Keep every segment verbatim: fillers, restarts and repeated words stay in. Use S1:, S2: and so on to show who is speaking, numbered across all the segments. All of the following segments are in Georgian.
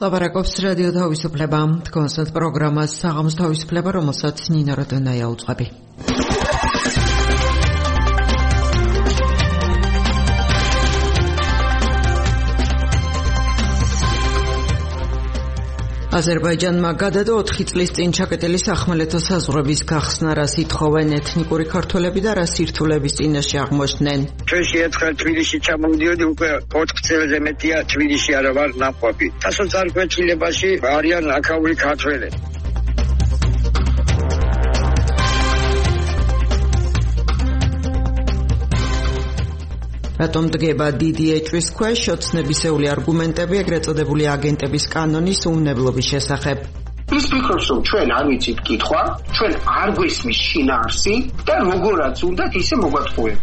S1: ლაპარაკობს რადიო თავისუფლება, კონსერტ პროგრამას საღამოს თავისუფლება, რომელსაც ნინა როდონაია უძღვები. აზერბაიჯანმა გადადო ოთხი წლის წინ ჩაკეტილი სახმელეთო საზღვრების გახსნა, რას ითხოვენ ეთნიკური ქართველები და რა სირთულების წინაშე აღმოჩნდნენ.
S2: ჩვენში ერთხელ თბილისში ჩამოვიდიოდი, უკვე ოთხ წელზე მეტია თბილისში არა ვარ ნაყოფი. დასოწარკვეთილებაში არიან აქაური ქართველები.
S1: რატომ დგება დიდი ეჭვის ქვეშ ოცნებისეული არგუმენტები ეგრეთ წოდებული აგენტების კანონის უმნებლობის შესახებ.
S3: ის ფიქრობს, რომ ჩვენ არ ვიცით კითხვა, ჩვენ არ გვესმის შინაარსი და როგორაც უნდათ ისე მოგატყუებ.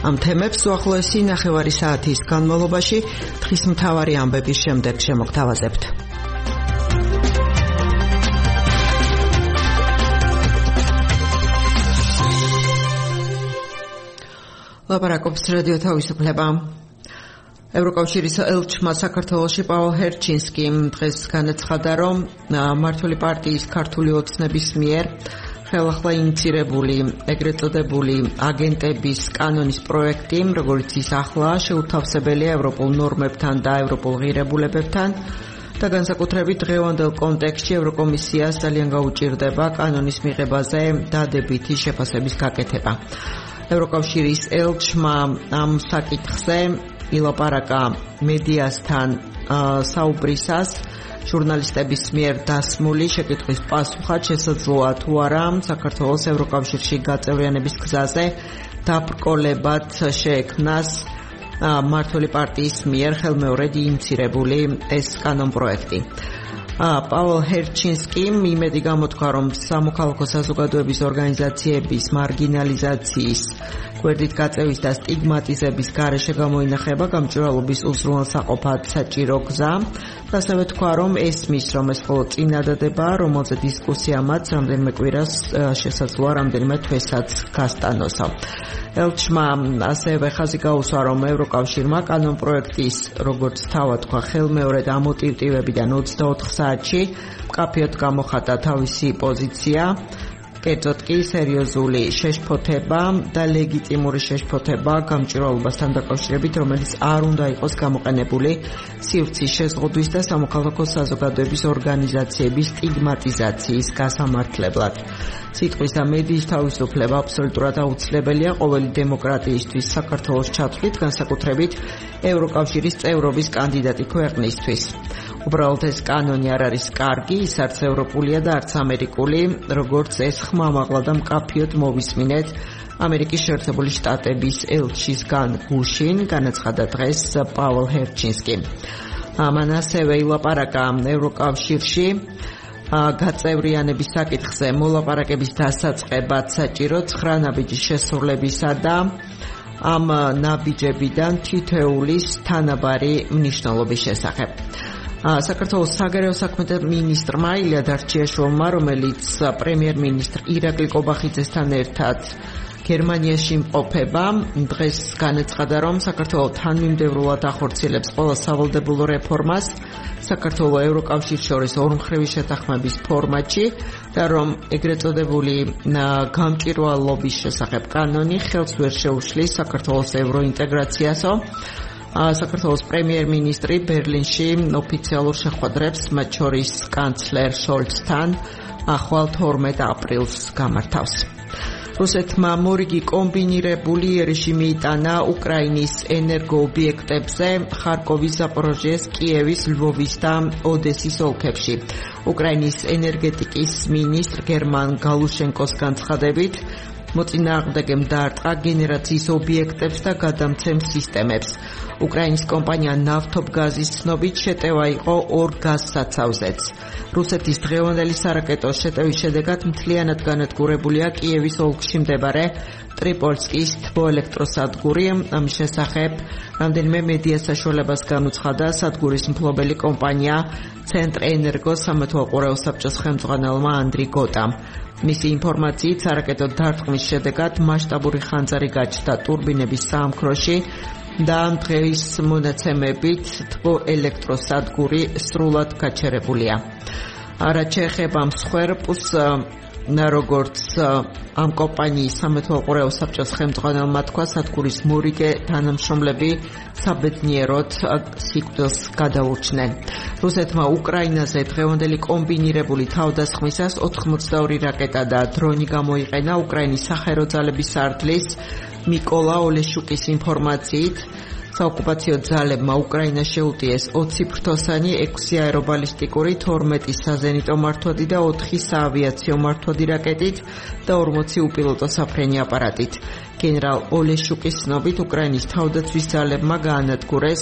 S1: ამ თემებს უახლოესი ნახევარი საათის განმავლობაში დღის მთავარი ამბების შემდეგ შემოგთავაზებთ. ლაპარაკობს რადიო თავისუფლება. ევროკავშირის ელჩმა საქართველოში პაულ ჰერჩინსკიმ დღეს განაცხადა, რომ მმართველი პარტიის ქართული ოცნების მიერ ხელახლა ინიცირებული ეგრეთ წოდებული აგენტების კანონის პროექტი, როგორც ის ახლა შეუთავსებელია ევროპულ ნორმებთან და ევროპულ ღირებულებებთან და განსაკუთრებით დღევანდელ კონტექსტში ევროკომისიას ძალიან გაუჭირდება კანონის მიღებაზე დადებითი შეფასების გაკეთება. ევროკავშირის ელჩმა ამ საკითხზე ილაპარაკა მედიასთან საუბრისას ჟურნალისტების მიერ დასმული შეკითხვის პასუხად შესაძლოა თუ არა საქართველოს ევროკავშირში გაწევრიანების გზაზე დაბრკოლებად შეექმნას მმართველი პარტიის მიერ ხელმეორედ ინიცირებული ეს კანონპროექტი. პაულ ჰერჩინსკიმ იმედი გამოთქვა, რომ სამოქალაქო საზოგადოების ორგანიზაციების მარგინალიზაციის, გვერდით გაწევის და სტიგმატიზების გარეშე გამოინახება გამჭვირვალობის უზრუნველსაყოფად საჭირო გზა. ასევე თქვა, რომ ესმის, რომ ეს მხოლოდ წინადადება, რომელზე დისკუსია მათ რამდენიმე კვირას შესაძლოა რამდენიმე თვესაც გასტანოსო. ელჩმა ასევე ხაზი გაუსვა, რომ ევროკავშირმა კანონპროექტის, როგორც თავად თქვა, ხელმეორედ ამოტივტივებიდან ოცდაოთხ საათში მკაფიოდ გამოხატა თავისი პოზიცია, კერძოდ კი სერიოზული შეშფოთება და ლეგიტიმური შეშფოთება გამჭვირვალობასთან დაკავშირებით, რომელიც არ უნდა იყოს გამოყენებული სივრცის შეზღუდვის და სამოქალაქო საზოგადოების ორგანიზაციების სტიგმატიზაციის გასამართლებლად. სიტყვის და მედიის თავისუფლება აბსოლუტურად აუცილებელია ყოველი დემოკრატიისთვის საქართველოს ჩათვლით, განსაკუთრებით ევროკავშირის წევრობის კანდიდატი ქვეყნისთვის. უბრალოდ ეს კანონი არ არის კარგი, ის არც ევროპულია და არც ამერიკული, როგორც ეს ხმამაღლა და მკაფიოდ მოვისმინეთ ამერიკის შეერთებული შტატების ელჩისგან გუშინ, განაცხადა დღეს პაულ ჰერჩინსკიმ. მან ასევე ილაპარაკა ევროკავშირში გაწევრიანების საკითხზე მოლაპარაკების დასაწყებად საჭირო ცხრა ნაბიჯის შესრულებისა და ამ ნაბიჯებიდან თითოეულის თანაბარი მნიშვნელობის შესახებ. საქართველოს საგარეო საქმეთა მინისტრმა ილია დარჩიაშვილმა, რომელიც პრემიერ-მინისტრ ირაკლი კობახიძესთან ერთად გერმანიაში იმყოფება, დღეს განაცხადა, რომ საქართველო თანმიმდევრულად ახორციელებს ყველა სავალდებულო რეფორმას საქართველოს ევროკავშირს შორის ორმხრივი შეთანხმების ფორმატში და რომ ეგრეთ წოდებული გამჭვირვალობის შესახებ კანონი ხელს ვერ შეუშლის საქართველოს ევროინტეგრაციასო. საქართველოს პრემიერ-მინისტრი ბერლინში ოფიციალურ შეხვედრებს, მათ შორის კანცლერ შოლცთან, ახვალ თორმეტ აპრილს გამართავს. რუსეთმა მორიგი კომბინირებული იერიში მიიტანა უკრაინის ენერგოობიექტებზე ხარკოვის, ზაპოროჟიეს, კიევის, ლვოვის და ოდესის ოლქებში. უკრაინის ენერგეტიკის მინისტრ გერმან გალუშენკოს განცხადებით, მოწინააღმდეგემ დაარტყა გენერაციის ობიექტებს და გადამცემ სისტემებს. უკრაინის კომპანია ნავთობგაზის ცნობით შეტევა იყო ორ გაზსაცავზეც. რუსეთის დღევანდელი სარაკეტო შეტევის შედეგად მთლიანად განადგურებულია კიევის ოლქში მდებარე ტრიპოლსკის თბოელექტროსადგური. ამის შესახებ რამდენიმე მედია საშუალებას განუცხადა სადგურის მფლობელი კომპანია ცენტრენერგოს სამეთვალყურეო საბჭოს ხელმძღვანელმა ანდრი გოტამ. მისი ინფორმაციით, სარაკეტო დარტყმის შედეგად მასშტაბური ხანძარი გაჩნდა ტურბინების საამქროში და დღეის მონაცემებით თბოელექტროსადგური სრულად გაჩერებულია. რაც შეეხება მსხვერპლს, როგორც ამ კომპანიის სამეთვალყურეო საბჭოს ხელმძღვანელმა თქვა, სადგურის მორიგე თანამშრომლები საბედნიეროდ სიკვდილს გადაურჩნენ. რუსეთმა უკრაინაზე დღევანდელი კომბინირებული თავდასხმისას ოთხმოცდაორი რაკეტა და დრონი გამოიყენა. უკრაინის საჰაერო ძალების სარდლის მიკოლა ოლეშუკის ინფორმაციით, საოკუპაციო ძალებმა უკრაინას შეუტიეს ოცი ფრთოსანი, ექვსი აერობალისტიკური, თორმეტი საზენიტო მართვადი და ოთხი საავიაციო მართვადი რაკეტით და ორმოცი უპილოტო საფრენი აპარატით. გენერალ ოლეშუკის ცნობით, უკრაინის თავდაცვის ძალებმა გაანადგურეს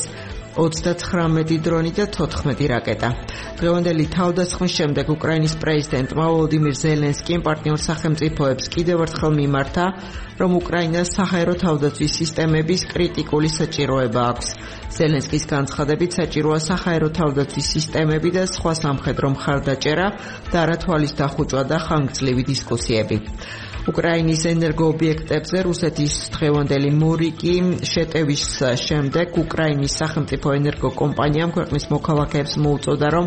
S1: ოცდათხრამეტი დრონი და თოთხმეტი რაკეტა. დღევანდელი თავდასხმის შემდეგ უკრაინის პრეზიდენტმა ვოლოდიმირ ზელენსკიმ პარტნიორ სახელმწიფოებს კიდევ ერთხელ მიმართა, რომ უკრაინას საჰაერო თავდაცვის სისტემების კრიტიკული საჭიროება აქვს. ზელენსკის განცხადებით, საჭიროა საჰაერო თავდაცვის სისტემები და სხვა სამხედრო მხარდაჭერა და არა თვალის დახუჭვა და ხანგრძლივი დისკუსიები. უკრაინის ენერგოობიექტებზე რუსეთის დღევანდელი მორიგი შეტევის შემდეგ უკრაინის სახელმწიფო ენერგო კომპანიამ ქვეყნის მოქალაქეებს მოუწოდა, რომ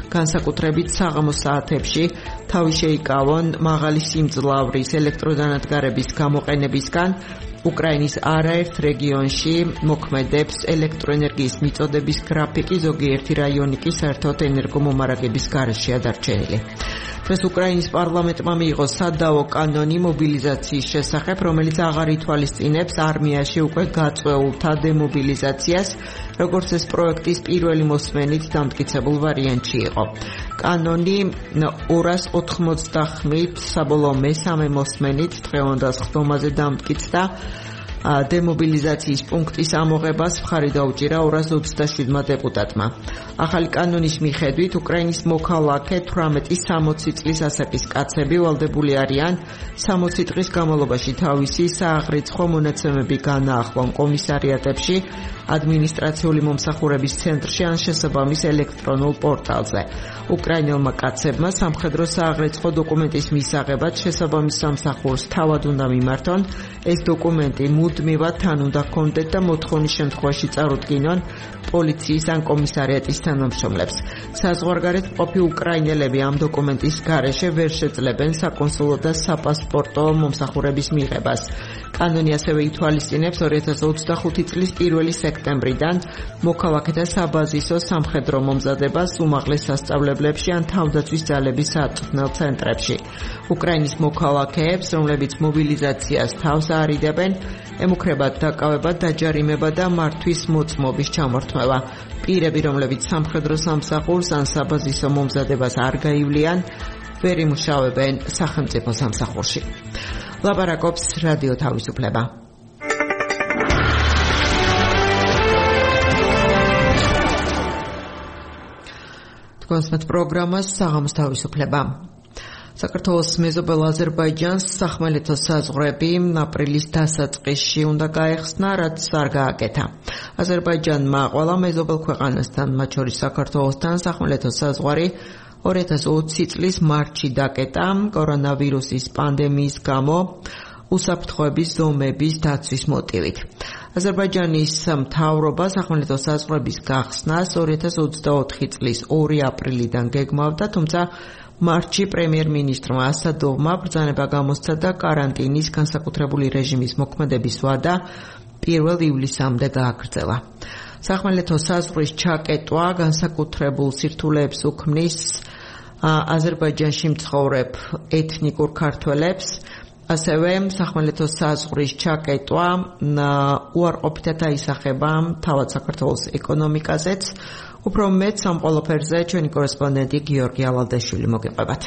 S1: განსაკუთრებით საღამოს საათებში თავი შეიკავონ მაღალი სიმძლავრის ელექტროდანადგარების გამოყენებისგან. უკრაინის არაერთ რეგიონში მოქმედებს ელექტროენერგიის მიწოდების გრაფიკი, ზოგიერთი რაიონი კი საერთოდ ენერგომომარაგების გარეშეა დარჩენილი. დღეს უკრაინის პარლამენტმა მიიღო სადავო კანონი მობილიზაციის შესახებ, რომელიც აღარ ითვალისწინებს არმიაში უკვე გაწვეულთა დემობილიზაციას, როგორც ეს პროექტის პირველი მოსმენით დამტკიცებულ ვარიანტში იყო. კანონი ორას ოთხმოცდახმით საბოლოო მესამე მოსმენით დღევანდელ ხდომაზე დამტკიცდა. დემობილიზაციის პუნქტის ამოღებას მხარი დაუჭირა ორას ოცდაშვიდმა დეპუტატმა. ახალი კანონის მიხედვით უკრაინის მოქალაქე თვრამეტი სამოცი წლის ასაკის კაცები ვალდებული არიან სამოცი დღის განმავლობაში თავისი სააღრიცხვო მონაცემები განაახლონ კომისარიატებში, ადმინისტრაციული მომსახურების ცენტრში ან შესაბამის ელექტრონულ პორტალზე. უკრაინელმა კაცებმა სამხედრო სააღრიცხვო დოკუმენტის მისაღებად შესაბამის სამსახურს თავად უნდა მიმართონ. ეს დოკუმენტი მუდმივად თან უნდა ჰქონდეთ და მოთხოვნის შემთხვევაში წარუდგინონ პოლიციის ან კომისარიატის თანამშრომლებს. საზღვარგარეთ მყოფი უკრაინელები ამ დოკუმენტის გარეშე ვერ შეძლებენ საკონსულო და საპასპორტო მომსახურების მიღებას. კანონი ასევე ითვალისწინებს ორი ათას ოცდახუთი წლის პირველი სექტემბრიდან მოქალაქეთა საბაზისო სამხედრო მომზადებას უმაღლეს სასწავლებლებში ან თავდაცვის ძალების სააწვრთნელ ცენტრებში. უკრაინის მოქალაქეებს, რომლებიც მობილიზაციას თავს აარიდებენ, ემუქრებათ დაკავება, დაჯარიმება და მართვის მოწმობის ჩამორთმევა. პირები, რომლებიც სამხედრო სამსახურს ან საბაზისო მომზადებას არ გაივლიან, ვერ იმუშავებენ სახელმწიფო სამსახურში. ლაპარაკობს რადიო თავისუფლება. თქვენს პროგრამას საღამოს თავისუფლება. საქართველოს მეზობელ აზერბაიჯანს სახმელეთო საზღვრები აპრილის დასაწყისში უნდა გაეხსნა, რაც არ გააკეთა. აზერბაიჯანმა ყველა მეზობელ ქვეყანასთან, მათ შორის საქართველოსთან, სახმელეთო საზღვარი ორი ათას ოცი წლის მარტში დაკეტა კორონავირუსის პანდემიის გამო უსაფრთხოების ზომების დაცვის მოტივით. აზერბაიჯანის მთავრობა სახმელეთო საზღვრების გახსნას ორი ათას ოცდაოთხი წლის ორი აპრილიდან გეგმავდა, თუმცა მარტში პრემიერ-მინისტრმა ასადოვმა ბრძანება გამოსცა და კარანტინის განსაკუთრებული რეჟიმის მოქმედების ვადა პირველ ივლისამდე გააგრძელა. სახმელეთო საზღვრის ჩაკეტვა განსაკუთრებულ სირთულეებს უქმნის აზერბაიჯანში მცხოვრებ ეთნიკურ ქართველებს, ასევე სახმელეთო საზღვრის ჩაკეტვა უარყოფითად აისახება თავად საქართველოს ეკონომიკაზეც. უფრო მეტ ამ ყველაფერზე ჩვენი კორესპონდენტი გიორგი ალალდაშვილი მოგეყვებათ.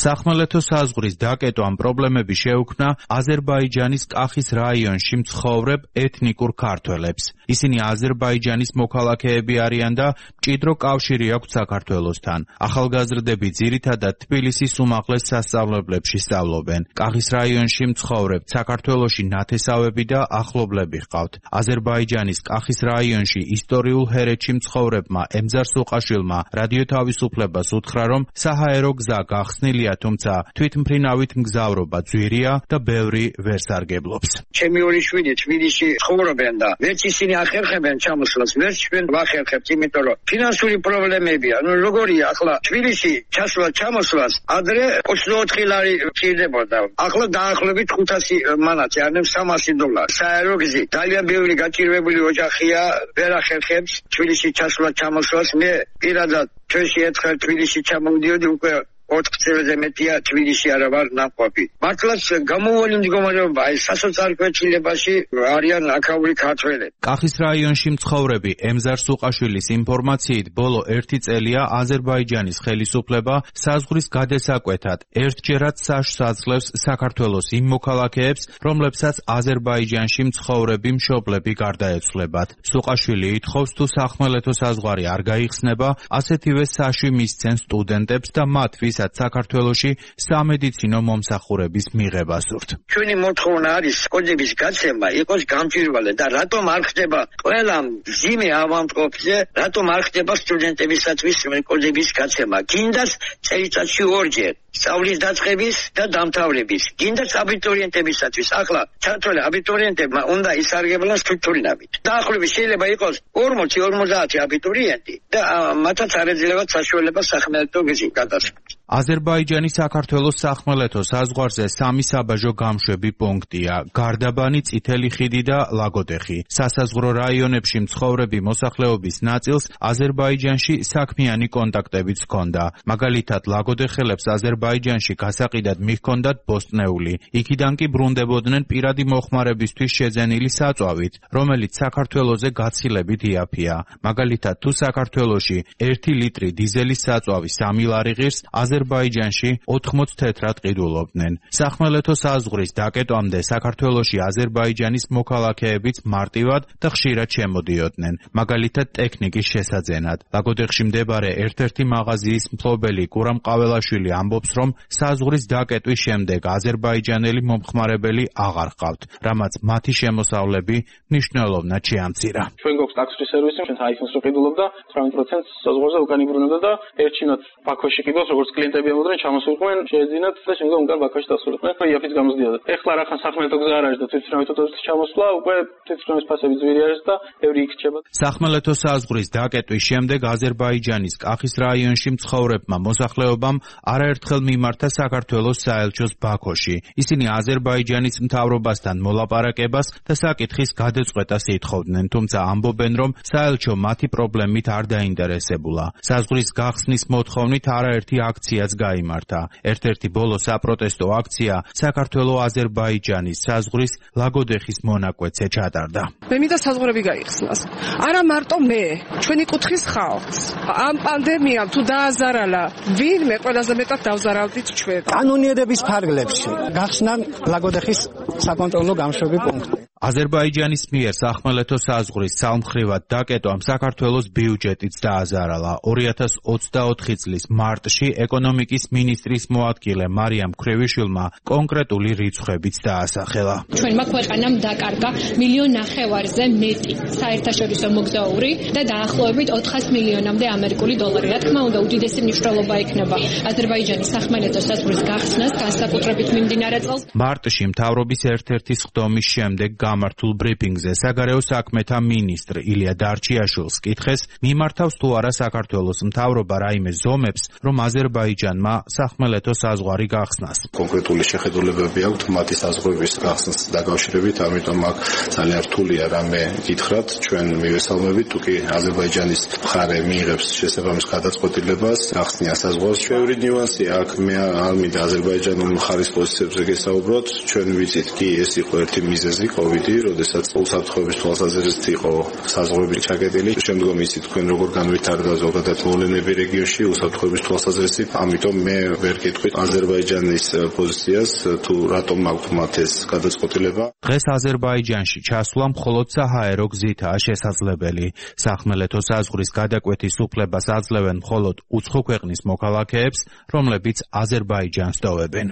S4: სახმელეთო საზღვრის დაკეტვამ პრობლემები შეუქმნა აზერბაიჯანის კახის რაიონში მცხოვრებ ეთნიკურ ქართველებს. ისინი აზერბაიჯანის მოქალაქეები არიან და მჭიდრო კავშირი აქვთ საქართველოსთან. ახალგაზრდები ძირითადად თბილისის უმაღლეს სასწავლებლებში სწავლობენ. კახის რაიონში მცხოვრებ საქართველოში ნათესავები და ახლობლები ჰყავთ. აზერბაიჯანის კახის რაიონში ისტორიულ ჰერეთში მცხოვრებმა ემზარ სუყაშვილმა რადიო თავისუფლებას უთხრა, რომ საჰაერო გზა გახსნილია, თუმცა თვითმფრინავით მგზავრობა ძვირია და ბევრი ვერ სარგებლობს.
S2: ჩემი ორი შვილი თბილისში ცხოვრობენ და ვერც ისინი ახერხებენ ჩამოსვლას, ვერც ჩვენ ვახერხებთ, იმიტომ რომ ფინანსური პრობლემებია. ნუ როგორია ახლა თბილისში ჩასვლა ჩამოსვლას ადრე ოცდაოთხი ლარი გჭირდებოდა. ახლა დაახლოებით ხუთასი მანათი, ანუ სამასი დოლარი. საერო გზით ძალიან ბევრი გაჭირვებული ოჯახია, ვერ ახერხებს თბილისში ჩასვლა ჩამოსვლას. მე პირადად ჩვენში ერთხელ თბილისში ჩამოვიდიოდი, უკვე ოთხ წელზე მეტია თბილისში არა ვარ ნაყოფი. მართლაც გამოუვალი მდგომარეობა, აი სასოწარკვეთილებაში არიან აქაური ქართველები.
S4: კახის რაიონში მცხოვრები ემზარ სუყაშვილის ინფორმაციით, ბოლო ერთი წელია აზერბაიჯანის ხელისუფლება საზღვრის გადასაკვეთად ერთჯერად საშს აძლევს საქართველოს იმ მოქალაქეებს, რომლებსაც აზერბაიჯანში მცხოვრები მშობლები გარდაეცვლებათ. სუყაშვილი ითხოვს, თუ სახმელეთო საზღვარი არ გაიხსნება, ასეთივე საში მისცენ სტუდენტებს და მათ ვის საქართველოში სამედიცინო მომსახურების მიღება სურთ.
S2: ჩვენი მოთხოვნა არის კოდების გაცემა იყოს გამჭვირვალე და რატომ არ ხდება ყველა მძიმე ავადმყოფზე, რატომ არ ხდება სტუდენტებისათვის კოდების გაცემა? გინდას წელიწადში ორჯერ სწავლის დაწყების და დამთავრების, გინდას აბიტურიენტებისათვის. ახლა ჩათვლე აბიტურიენტებმა უნდა ისარგებლონ სტრუქტურინავით. დაახლოებით შეიძლება იყოს ორმოცი ორმოცდაათი აბიტურიენტი და მათაც არ ეძლებათ საშუალება სახმელეთო გზით გადასვლა.
S4: აზერბაიჯანის საქართველოს სახმელეთო საზღვარზე სამი საბაჟო გამშვები პუნქტია: გარდაბანი, წითელი ხიდი და ლაგოდეხი. სასაზღვრო რაიონებში მცხოვრები მოსახლეობის ნაწილს აზერბაიჯანში საქმიანი კონტაქტებიც ჰქონდა. მაგალითად, ლაგოდეხელებს აზერბაიჯანში გასაყიდად მიჰქონდათ ბოსტნეული. იქიდან კი ბრუნდებოდნენ პირადი მოხმარებისთვის შეძენილი საწვავით, რომელიც საქართველოზე გაცილებით იაფია. მაგალითად, თუ საქართველოში ერთი ლიტრი დიზელის საწვავი სამი ლარი ღირს, აზერბაიჯანში ოთხმოც თეთრად ყიდულობდნენ. სახმელეთო საზღვრის დაკეტვამდე საქართველოში აზერბაიჯანის მოქალაქეებიც მარტივად და ხშირად შემოდიოდნენ, მაგალითად ტექნიკის შესაძენად. ლაგოდეხში მდებარე ერთ-ერთი მაღაზიის მფლობელი კურამ ყაველაშვილი ამბობს, რომ საზღვრის დაკეტვის შემდეგ აზერბაიჯანელი მომხმარებელი აღარ ჰყავთ, რამაც მათი შემოსავლები მნიშვნელოვნად შეამცირა.
S5: ჩვენ გვაქვს ტაქსის სერვისი, ჩვენ iPhone-ს რო ყიდულობდა, ცხრამეტ პროცენტს საზღვარზე უკან იბრუნებდა და ერჩინოთ ბაქოში ყიდავს, როგორც კლიენტები ამოდიან, ჩამოსულიყვნენ, შეეძინათ და შემდგომ უკან ბაქოში დასულიყვნენ. იაფიც გამოსდიოდა. ეხლა რახან სახმელეთო გზა არ არის და თვითმფრინავის ოდესის ჩამოსვლა, უკვე თვითმფრინავის ფასები ძვირი არის და ბევრი იქ რჩება.
S4: სახმელეთო საზღვრის დაკეტვის შემდეგ აზერბაიჯანის კახის რაიონში მცხოვრებმა მოსახლეობამ არაერთხელ მიმართა საქართველოს საელჩოს ბაქოში. ისინი აზერბაიჯანის მთავრობასთან მოლაპარაკებას და საკითხის გადაწყვეტას ითხოვდნენ, თუმცა ამბობენ, რომ საელჩო მათი პრობლემით არ დაინტერესებულა. საზღვრის გახსნის მოთხოვნით არაერთი აქციაც გაიმართა. ერთ-ერთი ბოლო საპროტესტო აქცია საქართველო-აზერბაიჯანის საზღვრის ლაგოდეხის მონაკვეთზე ჩატარდა.
S6: მე მინდა საზღვრები გაიხსნას. არა მარტო მე, ჩვენი კუთხის ხალხს. ამ პანდემიამ თუ დააზარალა, ვინმე ყველაზე მეტად დავზარავდით ჩვენ.
S7: კანონიერების ფარგლებში გახსნა ლაგოდეხის საკონტროლო გამშვები პუნქტი.
S4: აზერბაიჯანის მიერ სახმელეთო საზღვრის ცალმხრივად დაკეტვამ საქართველოს ბიუჯეტიც დააზარალა. ორი ათას ოცდაოთხი წლის მარტში ეკონომიკის მინისტრის მოადგილე მარიამ ქრევიშვილმა კონკრეტული რიცხვებიც დაასახელა.
S8: ჩვენმა ქვეყანამ დაკარგა მილიონ ნახევარზე მეტი საერთაშორისო მოგზაური და დაახლოებით ოთხას მილიონამდე ამერიკული დოლარი. რა თქმა უნდა, უდიდესი მნიშვნელობა ექნება აზერბაიჯანის სახმელეთო საზღვრის გახსნას, განსაკუთრებით მიმდინარე წელს.
S4: მარტში მთავრობის ერთ-ერთი სხდომის შემდეგ გამართულ ბრიფინგზე საგარეო საქმეთა მინისტრ ილია დარჩიაშვილს კითხეს, მიმართავს თუ არა საქართველოს მთავრობა რაიმე ზომებს, რომ აზერბაიჯანმა სახმელეთო საზღვარი გახსნას.
S9: კონკრეტული შეხედულებები აქვთ მათი საზღვრების გახსნას დაკავშირებით, ამიტომ აქ ძალიან რთულია რამე გითხრათ, ჩვენ მივესალმებით, თუ კი აზერბაიჯანის მხარე მიიღებს შესაბამის გადაწყვეტილებას გახსნიან საზღვარს. ჩვენი ნიუანსი აქ მე არ მინდა აზერბაიჯანული მხარის პოზიციებზე გესაუბროთ, ჩვენ ვიცით კი ეს იყო ერთი მიზეზი COVID დიდი, როდესაც უსაფრთხოების თვალსაზრისით იყო საზღვრები ჩაკეტილი. შემდგომ ისი თქვენ როგორ განვითარდა ზოგადად მოვლენები რეგიონში უსაფრთხოების თვალსაზრისით, ამიტომ მე ვერ კითხვი აზერბაიჯანის პოზიციას, თუ რატომ აქვთ მათ ეს გადაწყვეტილება.
S4: დღეს აზერბაიჯანში ჩასვლა მხოლოდ საჰაერო გზითაა შესაძლებელი. სახმელეთო საზღვრის გადაკვეთის უფლებას აძლევენ მხოლოდ უცხო ქვეყნის მოქალაქეებს, რომლებიც აზერბაიჯანს დოვებენ.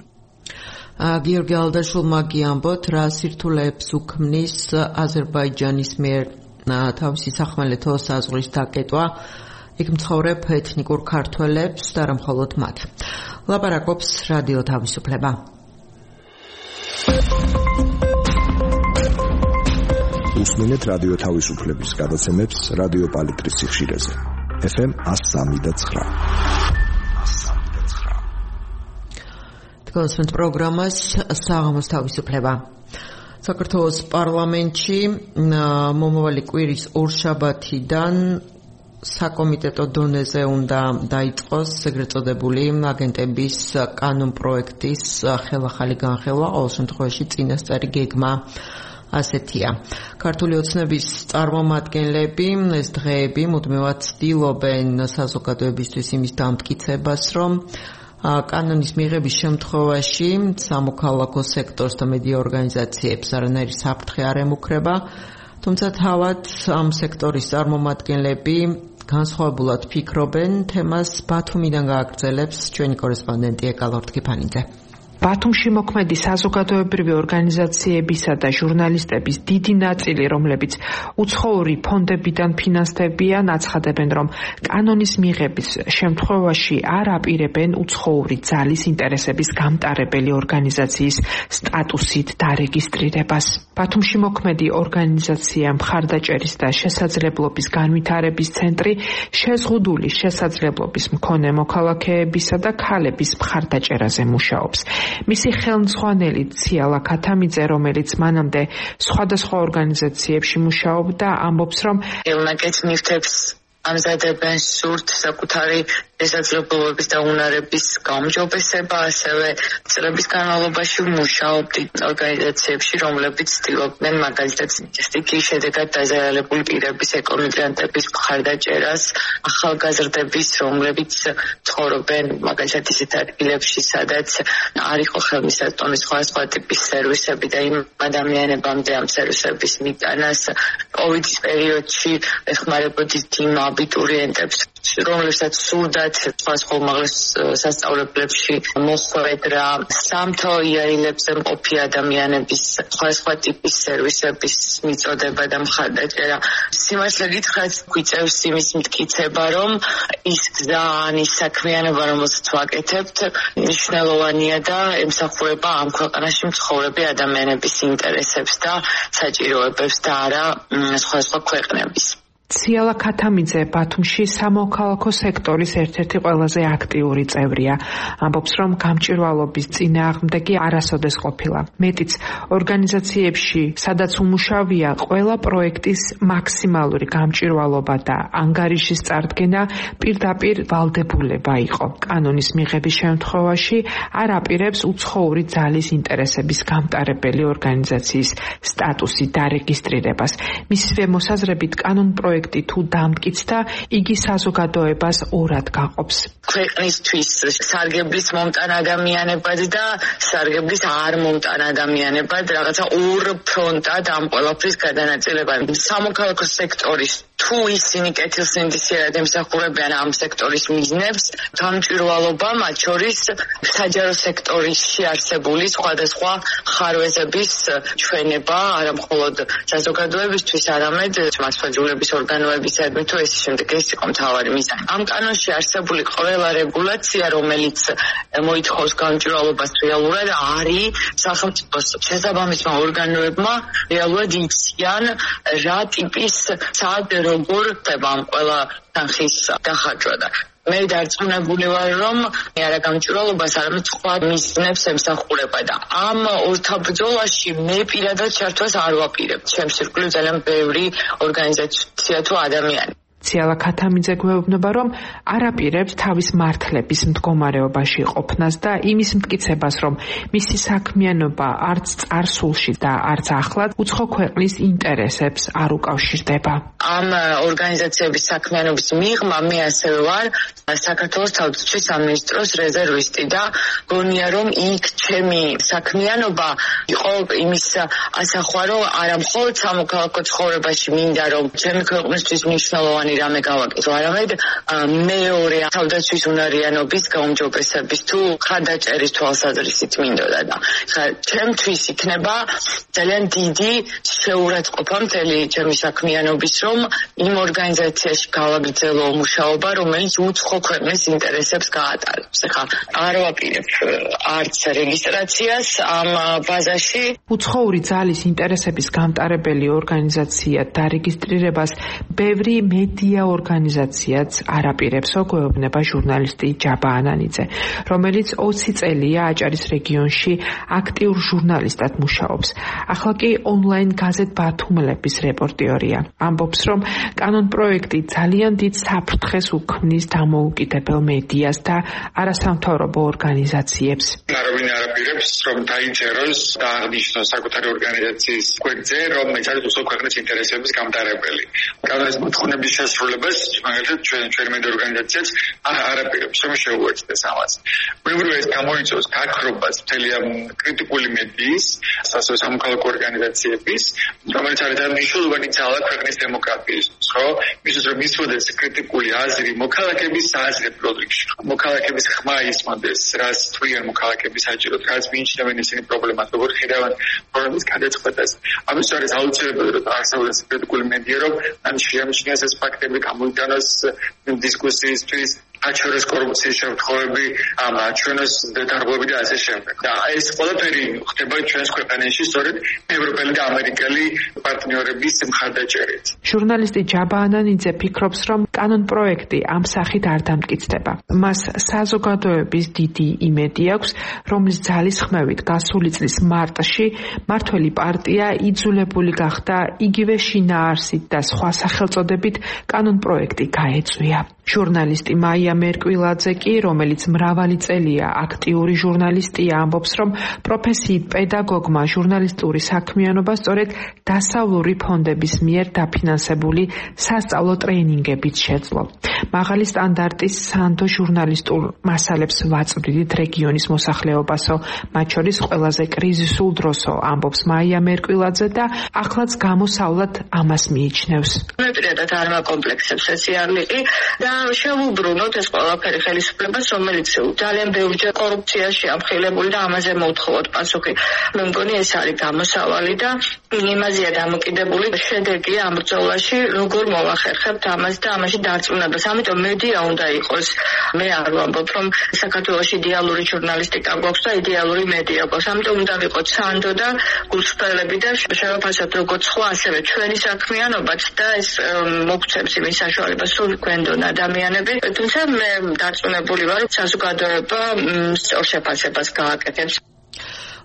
S1: გიორგი ალდაშულმა გიამბოთ, რა სირთულეებს უქმნის აზერბაიჯანის მიერ თავისი სახმელეთო საზღვრის დაკეტვა, იქ მცხოვრებ ეთნიკურ ქართველებს და არა მხოლოდ მათ. ლაპარაკობს რადიო თავისუფლება.
S10: უსმენთ რადიო თავისუფლების გადაცემებს რადიო პალიტრის სიხშირეზე. ეფ ემ one oh three point nine.
S1: თქვენს პროგრამას საღამოს თავისუფლება. საქართველოს პარლამენტში მომავალი კვირის ორშაბათიდან საკომიტეტო დონეზე უნდა დაიწყოს ეგრეთ წოდებული აგენტების კანონ პროექტის ხელახალი განხილვა, ყოველ შემთხვევაში წინასწარი გეგმა ასეთია. ქართული ოცნების წარმომადგენლები ეს დღეები მუდმივად ცდილობენ საზოგადოებისთვის იმის დამტკიცებას, რომ კანონის მიღების შემთხვევაში სამოქალაქო სექტორს და მედია ორგანიზაციებს არანაირი საფრთხე არ ემუქრება, თუმცა თავად ამ სექტორის წარმომადგენლები განსხვავებულად ფიქრობენ. თემას ბათუმიდან გააგრძელებს ჩვენი კორესპონდენტი ეკალორდ კიფანიძე.
S11: ბათუმში მოქმედი საზოგადოებრივი ორგანიზაციებისა და ჟურნალისტების დიდი ნაწილი, რომლებიც უცხოური ფონდებიდან ფინანსდებიან, აცხადებენ, რომ კანონის მიღების შემთხვევაში არ აპირებენ უცხოური ძალის ინტერესების გამტარებელი ორგანიზაციის სტატუსით დარეგისტრირებას. ბათუმში მოქმედი ორგანიზაცია მხარდაჭერის და შესაძლებლობის განვითარების ცენტრი შეზღუდული შესაძლებლობის მქონე მოქალაქეებისა და ქალების მხარდაჭერაზე მუშაობს. მისი ხელმძღვანელი ციალა ქათამიძე, რომელიც მანამდე სხვადასხვა ორგანიზაციებში მუშაობდა, ამბობს, რომ
S12: ელნაკეთ ნივთებს ამზადებენ სურთ საკუთარი შესაძლებლობების და უნარების გაუმჯობესება, ასევე წლების განმავლობაში მუშაობდი ორგანიზაციებში, რომლებიც ცდილობდნენ მაგალითად სტიქიის შედეგად დაზარალებული პირების ეკომიგრანტების მხარდაჭერას, ახალგაზრდების, რომლებიც ცხოვრობენ მაგალითად ისეთ ადგილებში, სადაც არ იყო ხელმისაწვდომი სხვადასხვა ტიპის სერვისები და იმ ადამიანებამდე ამ სერვისების მიტანას კოვიდის პერიოდში ეხმარებოდით იმ აბიტურიენტებს, რომლებსაც სურდათ სხვადასხვა უმაღლეს სასწავლებლებში მოხვედრა, სამთო იარილებზე მყოფი ადამიანების სხვადასხვა ტიპის სერვისების მიწოდება და მხარდაჭერა. სიმართლე გითხრათ, გვიწევს იმის მტკიცება, რომ ის გზა ან ის საქმიანობა, რომელსაც ვაკეთებთ, მნიშვნელოვანია და ემსახურება ამ ქვეყანაში მცხოვრები ადამიანების ინტერესებს და საჭიროებებს და არა სხვადასხვა ქვეყნების.
S11: ციალა ქათამიძე ბათუმში სამოქალაქო სექტორის ერთ-ერთი ყველაზე აქტიური წევრია. ამბობს, რომ გამჭვირვალობის წინააღმდეგი არასოდეს ყოფილა. მეტიც, ორგანიზაციებში, სადაც უმუშავია, ყველა პროექტის მაქსიმალური გამჭვირვალობა და ანგარიშის წარდგენა პირდაპირ ვალდებულება იყო. კანონის მიღების შემთხვევაში არ აპირებს უცხოური ძალის ინტერესების გამტარებელი ორგანიზაციის სტატუსი დარეგისტრირებას. მისივე მოსაზრებით კანონ პროექტი თუ დამტკიცდა, იგი საზოგადოებას ორად გაყოფს.
S12: ქვეყნისთვის სარგებლის მომტან ადამიანებად და სარგებლის არ მომტან ადამიანებად რაღაცა ორ ფრონტად ამ ყველაფრის გადანაწილება. სამოქალაქო სექტორის თუ ისინი კეთილსინდისიერად ემსახურებიან ამ სექტორის მიზნებს, გამჭვირვალობა მათ შორის საჯარო სექტორში არსებული სხვადასხვა ხარვეზების ჩვენება, არა მხოლოდ საზოგადოებისთვის, არამედ მასშტაბების ორგანოებისადმი თუ ეს შემდეგ ეს იყო მთავარი მიზანი. ამ კანონში არსებული ყველა რეგულაცია, რომელიც მოითხოვს გამჭვირვალობას, რეალურად არის სახელმწიფოს შესაბამისმა ორგანოებმა რეალურად იციან რა ტიპის სად როგორ ხდება ამ ყველა თანხის დახარჯვა და მე დარწმუნებული ვარ, რომ არა გამჭვირვალობას, არამედ სხვა მიზნებს ემსახურება და ამ ორთაბრძოლაში მე პირადად ჩართვას არ ვაპირებ. ჩემს ირგვლივ ძალიან ბევრი ორგანიზაცია თუ ადამიანი.
S11: ციალა ქათამიძე გვეუბნება, რომ არაპირებს თავის მართლების მდგომარეობაში ყოფნას და იმის მტკიცებას, რომ მისი საქმიანობა არც წარსულში და არც ახლად უცხო ქვეყნის ინტერესებს არ უკავშირდება.
S12: ამ ორგანიზაციების საქმიანობის მიღმა მე ასევე ვარ საქართველოს თავდაცვის სამინისტროს რეზერვისტი და გონია რომ იქ ჩემი საქმიანობა იყო იმის ასახვა, რომ არა მხოლოდ სამოქალაქო ცხოვრებაში მინდა რომ ჩემი ქვეყნისთვის მნიშვნელოვანი რამე გავაკეთო, არამედ მეორე თავდაცვის უნარიანობის გაუმჯობესების თუ ხარდაჭერის თვალსაზრისით მინდოდა და ჩემთვის იქნება ძალიან დიდი შეურაცხყოფა მთელი ჩემი საქმიანობის, რომ იმ ორგანიზაციაში გავაგრძელო მუშაობა, რომელიც უცხო ქვეყნის ინტერესებს გაატარებს. ეხლა არ ვაპირებ არც რეგისტრაციას ამ ბაზაში.
S11: უცხოური ძალის ინტერესების გამტარებელი ორგანიზაცია დარეგისტრირებას ბევრი მედია ორგანიზაციაც არაპირებსო, გვეუბნება ჟურნალისტი ჯაბა ანანიძე, რომელიც ოცი წელია აჭარის რეგიონში აქტიურ ჟურნალისტად მუშაობს. ახლა კი ონლაინ გაზეთ ბათუმელების რეპორტიორია. ამბობს, რომ კანონ პროექტი ძალიან დიდ საფრთხეს უქმნის დამოუკიდებელ მედიას და არასამთავრობო ორგანიზაციებს.
S13: არავინ არაპირებს, რომ დაიჯეროს და აღნიშნოს საკუთარი ორგანიზაციის გვერდზე, რომ ეს არის უცხო ქვეყნის ინტერესების გამტარებელი. კანონის მოთხოვნების შესრულებას, მაგალითად, ჩვენ ჩვენი მედია ორგანიზაციაც არაპირებს, რომ შეუერთდეს ამას. უბრალოდ ეს გამოიწვევს გაქრობას მთელი ამ კრიტიკული მედიის, ასევე სამოქალაქო ორგანიზაციების, რომელიც არის მნიშვნელოვანი ძალა ქვეყნის დემოკრატიისთვის, ხო? მისთვის რომ ისვოდეს კრიტიკული აზრი მოქალაქეების აზრი პროდუქტში. მოქალაქეების ხმა ისმოდეს, რას თვლიან მოქალაქეები საჭიროდ, რაც მიიჩნევენ ისინი პრობლემას, როგორ ხედავენ პრობლემის გადაწყვეტას. ამის არის აუცილებელი, რომ არსებობს კრიტიკული მედია, რომ ან შეამჩნიოს ეს ფაქტები, გამოიტანოს დისკუსიისთვის, აჩვენოს კორუფციის შემთხვევები, ამ აჩვენოს დარღვევები და ასე შემდეგ. და ეს ყველაფერი ხდება ჩვენს ქვეყანაში სწორედ ევროპელი და ამერიკელი პარტნიორების მხარდაჭერით.
S11: ჟურნალისტი ჯაბა ანანიძე ფიქრობს, რომ კანონ პროექტი ამ სახით არ დამტკიცდება. მას საზოგადოების დიდი იმედი აქვს, რომლის ძალისხმევით გასული წლის მარტში მართველი პარტია იძულებული გახდა იგივე შინაარსით და სხვა სახელწოდებით კანონ პროექტი გაეწვია. ჟურნალისტი მაია მერკვილაძე კი, რომელიც მრავალი წელია აქტიური ჟურნალისტია, ამბობს, რომ პროფესიით პედაგოგმა ჟურნალისტური საქმიანობა სწორედ დასავლური ფონდების მიერ დაფინანსებული სასწავლო ტრეინინგებით შეძლო. მაღალი სტანდარტის სანდო ჟურნალისტურ მასალებს ვაწვდით რეგიონის მოსახლეობასო, მათ შორის ყველაზე კრიზისულ დროსო, ამბობს მაია მერკვილაძე და ახლაც გამოსავლად ამას მიიჩნევს.
S12: მეპირადად არ მაკომპლექსებს ეს იარლიყი და შევუბრუნოთ ეს ყველაფერი ხელისუფლებას, რომელიც ძალიან ბევრჯერ კორუფციაში ამხილებული და ამაზე მოთხოვოთ პასუხი. მე მგონი ეს არის გამოსავალი და იმაზეა დამოკიდებული შედეგი ამ ბრძოლაში, როგორ მოვახერხებთ ამას და ამაში დარწმუნებას. ამიტომ მედია უნდა იყოს. მე არ ვამბობ, რომ საქართველოში იდეალური ჟურნალისტიკა გვაქვს და იდეალური მედია გვაქვს. ამიტომ უნდა ვიყოთ სანდო და გულწრფელები და შევაფასოთ როგორც სხვა, ასევე ჩვენი საქმიანობაც და ეს მოგცემს იმის საშუალებას, სულ გვენდონ ადამიანები. თუმცა მე დარწმუნებული ვარ, რომ საზოგადოება სწორ შეფასებას გააკეთებს.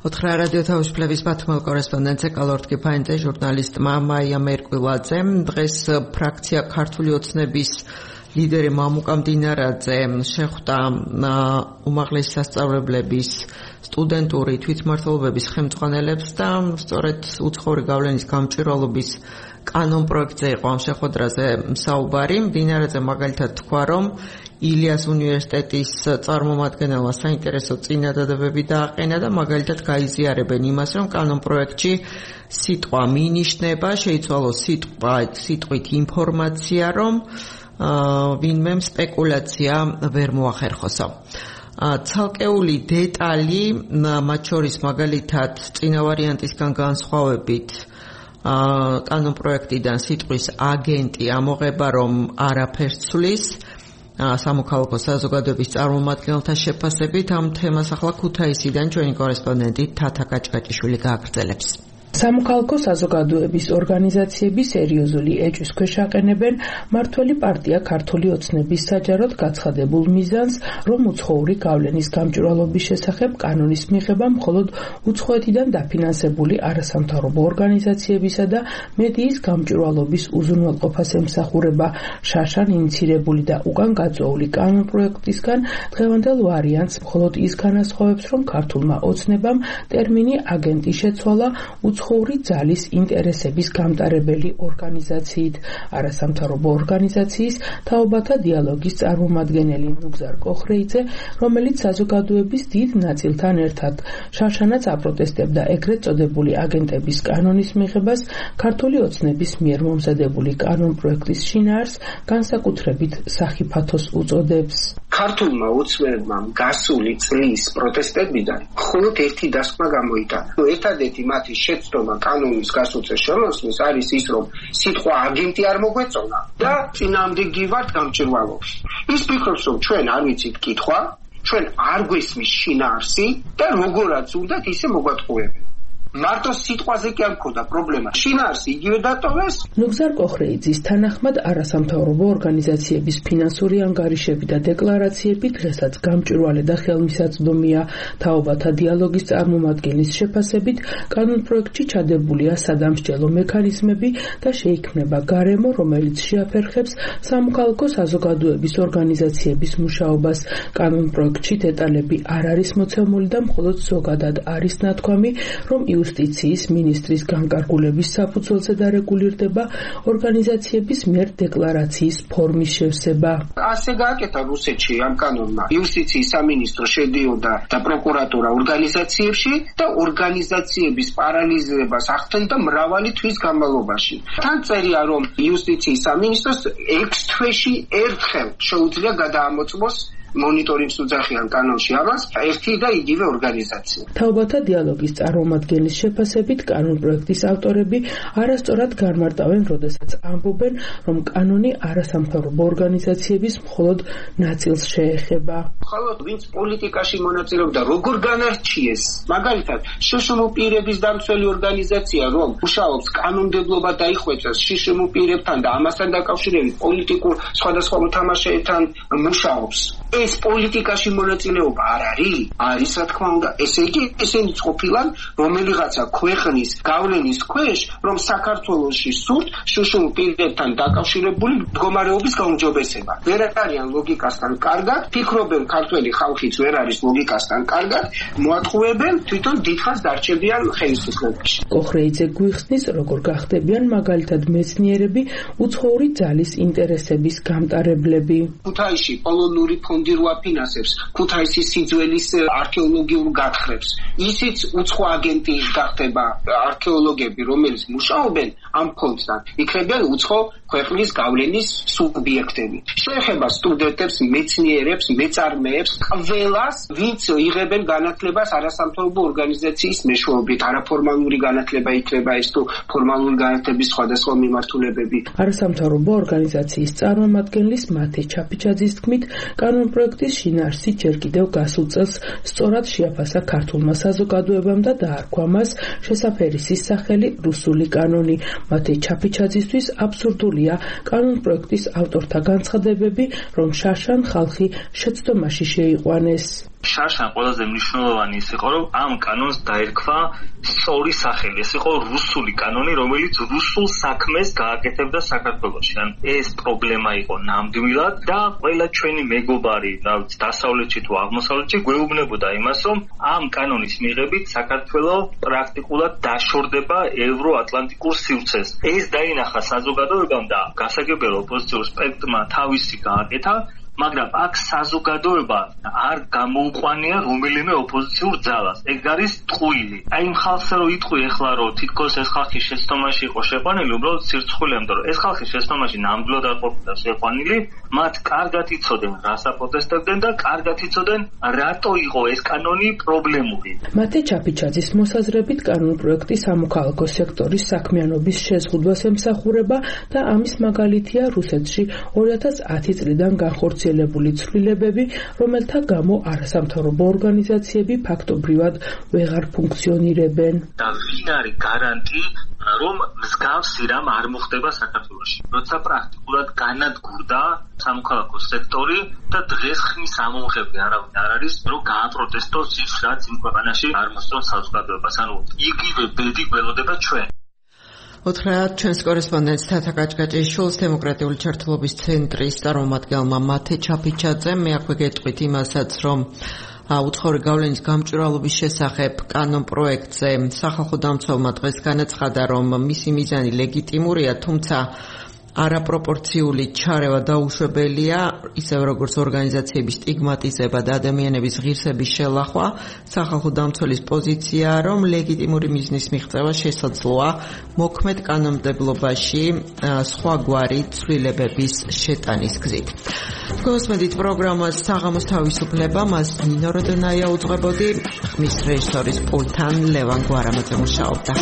S1: ოთხრა რადიო თავისუფლების ბათუმელ კორესპონდენტზე კალორტკი ფაინზე ჟურნალისტმა მაია მერკვილაძემ დღეს ფრაქცია ქართული ოცნების ლიდერი მამუკა მდინარაძე შეხვდა უმაღლესი სასწავლებლების სტუდენტური თვითმმართველობების ხელმძღვანელებს და სწორედ უცხოური გავლენის გამჭვირვალობის კანონ პროექტზე იყო ამ შეხვედრაზე საუბარი. მდინარაძე მაგალითად თქვა, რომ ილიას უნივერსიტეტის წარმომადგენელმა საინტერესო წინადადებები დააყენა და მაგალითად გაიზიარებენ იმას, რომ კანონ პროექტში სიტყვა მინიშნება, შეიცვალოს სიტყვა სიტყვით ინფორმაცია, რომ ვინმე სპეკულაცია ვერ მოახერხოსო. ცალკეული დეტალი, მათ შორის მაგალითად წინა ვარიანტისგან განსხვავებით კანონ პროექტიდან სიტყვის აგენტი ამოღება, რომ არაფერს ცვლის სამოქალაქო საზოგადოების წარმომადგენელთა შეფასებით. ამ თემას ახლა ქუთაისიდან ჩვენი კორესპონდენტი თათა კაჭკაჭიშვილი გააგრძელებს.
S11: სამოქალაქო საზოგადოების ორგანიზაციები სერიოზული ეჭვის ქვეშ აყენებენ მართველი პარტია ქართული ოცნების საჯაროდ გაცხადებულ მიზანს, რომ უცხოური გავლენის გამჭვირვალობის შესახებ კანონის მიღება მხოლოდ უცხოეთიდან დაფინანსებული არასამთავრობო ორგანიზაციებისა და მედიის გამჭვირვალობის უზრუნველყოფას ემსახურება. შაშან ინიცირებული და უკან გაწვეული კანონპროექტისგან დღევანდელ ვარიანტს მხოლოდ ის განასხვავებს, რომ ქართულმა ოცნებამ ტერმინი აგენტი შეცვალა უცხოური ძალის ინტერესების გამტარებელი ორგანიზაციით. არასამთავრობო ორგანიზაციის თაობათა დიალოგის წარმომადგენელი ნუგზარ კოხრეიძე, რომელიც საზოგადოების დიდ ნაწილთან ერთად შარშანაც აპროტესტებდა ეგრეთ წოდებული აგენტების კანონის მიღებას, ქართული ოცნების მიერ მომზადებული კანონპროექტის შინაარსს განსაკუთრებით სახიფათოს უწოდებს.
S3: ქართულმა ოცნებმა გასული წლის პროტესტებიდან მხოლოდ ერთი დასკვნა გამოიტანა. ერთადერთი მათი შეცდომა კანონის გასუწეს შემოსვლის არის ის, რომ სიტყვა აგენტი არ მოგვეწონა და წინააღმდეგი ვართ გამჭვირვალობაში. ის ფიქრობს, რომ ჩვენ არ ვიცით კითხვა, ჩვენ არ გვესმის შინაარსი და როგორაც უნდათ ისე მოგვატყუებენ. მარტო სიტყვაზე კი არ მქონდა პრობლემა. შინაარსი იგივე დატოვეს.
S11: ნუგზარ კოხრეიძის თანახმად არასამთავრობო ორგანიზაციების ფინანსური ანგარიშები და დეკლარაციები დღესაც გამჭვირვალე და ხელმისაწვდომია. თაობათა დიალოგის წარმომადგენლის შეფასებით, კანონპროექტში ჩადებულია სადამსჯელო მექანიზმები და შეიქმნება გარემო, რომელიც შეაფერხებს სამოქალაქო საზოგადოების ორგანიზაციების მუშაობას. კანონპროექტში დეტალები არ არის მოცემული და მხოლოდ ზოგადად არის ნათქვამი, რომ იუსტიციის მინისტრის განკარგულების საფუძველზე დარეგულირდება ორგანიზაციების მიერ დეკლარაციის ფორმის შევსება.
S3: ასე გააკეთა რუსეთში ამ კანონმა. იუსტიციის სამინისტრო შედიოდა და პროკურატურა ორგანიზაციებში და ორგანიზაციების პარალიზებას ახდენდა მრავალი თვის განმავლობაში. თან წერია, რომ იუსტიციის სამინისტროს ექვს თვეში ერთხელ შეუძლია გადაამოწმოს მონიტორინგს უძახიან კანონში ამას ერთი და იგივე ორგანიზაცია.
S11: თაობათა დიალოგის წარმომადგენლის შეფასებით, კანონპროექტის ავტორები არასწორად განმარტავენ, როდესაც ამბობენ, რომ კანონი არასამთავრობო ორგანიზაციების მხოლოდ ნაწილს შეეხება.
S3: მხოლოდ ვინც პოლიტიკაში მონაწილეობდა, როგორ განარჩიეს. მაგალითად, შშმ პირების დამცველი ორგანიზაცია, რომ მუშაობს კანონმდებლობა დაიხვეწეს შშმ პირებთან და ამასთან დაკავშირებით პოლიტიკურ სხვადასხვა მოთამაშეებთან მუშაობს. ეს პოლიტიკაში მონაწილეობა არ არის? არის, რა თქმა უნდა. ესე იგი, ესენი ყოფილან რომელიღაცა ქვეყნის გავლენის ქვეშ, რომ საქართველოში სურთ შშმ პირებთან დაკავშირებული მდგომარეობის გაუმჯობესება. ვერ არიან ლოგიკასთან კარგად, ფიქრობენ ქართველი ხალხიც ვერ არის ლოგიკასთან კარგად, მოატყუებენ თვითონ დიდხანს დარჩებიან ხელისუფლებაში.
S11: კოხრეიძე გვიხსნის, როგორ გახდებიან მაგალითად მეცნიერები უცხოური ძალის ინტერესების გამტარებლები.
S3: ქუთაისში პოლონური ფონდი რო აფინანსებს ქუთაისის სიძველის არქეოლოგიურ გათხრებს. ისიც უცხო აგენტი გახდება არქეოლოგები, რომელიც მუშაობენ ამ ფონდთან, იქნებიან უცხო ქვეყნის გავლენის სუბიექტები. შეეხება სტუდენტებს, მეცნიერებს, მეწარმეებს, ყველას, ვინც იღებენ განათლებას არასამთავრობო ორგანიზაციის მეშვეობით. არაფორმალური განათლება იქნება ეს თუ ფორმალური განათლების სხვადასხვა მიმართულებები.
S11: არასამთავრობო ორგანიზაციის წარმომადგენლის მათე ჩაფიჩაძის თქმით, კანონპროექტის შინაარსი ჯერ კიდევ გასულ წელს სწორად შეაფასა ქართულმა საზოგადოებამ და დაარქვა მას შესაფერისის სახელი რუსული კანონი. მათე ჩაფიჩაძისთვის აბსურდულია კანონპროექტის ავტორთა განცხადებები, რომ შარშან ხალხი შეცდომაში შეიყვანეს.
S14: შარშან ყველაზე მნიშვნელოვანი ის იყო, რომ ამ კანონს დაერქვა სწორი სახელი. ეს იყო რუსული კანონი, რომელიც რუსულ საქმეს გააკეთებდა საქართველოში. ან ეს პრობლემა იყო ნამდვილად და ყველა ჩვენი მეგობარი, რაც დასავლეთში თუ აღმოსავლეთში გვეუბნებოდა იმას, რომ ამ კანონის მიღებით საქართველო პრაქტიკულად დაშორდება ევროატლანტიკურ სივრცეს. ეს დაინახა საზოგადოებამ და გასაგებია ოპოზიციურ სპექტრმა თავისი გააკეთა, მაგრამ აქ საზოგადოება არ გამოუყვანია რომელიმე ოპოზიციურ ძალას. ეგ არის ტყუილი. აი იმ ხალხზე რომ იტყვი ახლა რომ თითქოს ეს ხალხი შეცდომაში იყო შეყვანილი, უბრალოდ სირცხულია, იმიტომ რომ ეს ხალხი შეცდომაში ნამდვილად არ ყოფილა შეყვანილი, მათ კარგად იცოდნენ რას აპროტესტებდნენ და კარგად იცოდნენ რატო იყო ეს კანონი პრობლემური.
S11: მათე ჩაფიჩაძის მოსაზრებით კანონპროექტი სამოქალაქო სექტორის საქმიანობის შეზღუდვას ემსახურება და ამის მაგალითია რუსეთში ორი ათას ათი წლიდან განხორციელებული
S15: განხორციელებული ცვლილებები, რომელთა გამო არასამთავრობო ორგანიზაციები ფაქტობრივად ვეღარ ფუნქციონირებენ.
S14: და ვინ არის გარანტი, რომ მსგავსი რამ არ მოხდება საქართველოში? როცა პრაქტიკულად განადგურდა სამოქალაქო სექტორი და დღეს ხმის ამომღები არავინ არ არის, რომ გააპროტესტოს ის, რაც იმ ქვეყანაში არ მოსწონს საზოგადოებას. ანუ იგივე ბედი გველოდება ჩვენ.
S1: უთხრათ ჩვენს კორესპონდენტს თათა კაჭკაჭიშვილს დემოკრატიული ჩართულობის ცენტრის წარმომადგენელმა მათე ჩაფიჩაძემ. მე აქვე გეტყვით იმასაც, რომ უცხოური გავლენის გამჭვირვალობის შესახებ კანონ პროექტზე სახალხო დამცველმა დღეს განაცხადა, რომ მისი მიზანი ლეგიტიმურია, თუმცა არაპროპორციული ჩარევა დაუშვებელია, ისევ როგორც ორგანიზაციების სტიგმატიზება და ადამიანების ღირსების შელახვა. სახალხო დამცველის პოზიციაა, რომ ლეგიტიმური მიზნის მიღწევა შესაძლოა მოქმედ კანონმდებლობაში სხვაგვარი ცვლილებების შეტანის გზით. გოსმედით პროგრამას საღამოს თავისუფლება, მას ნინო როდონაია უძღვებოდი, ხმის რეჟისორის პულტთან ლევან გვარამაძე მუშაობდა.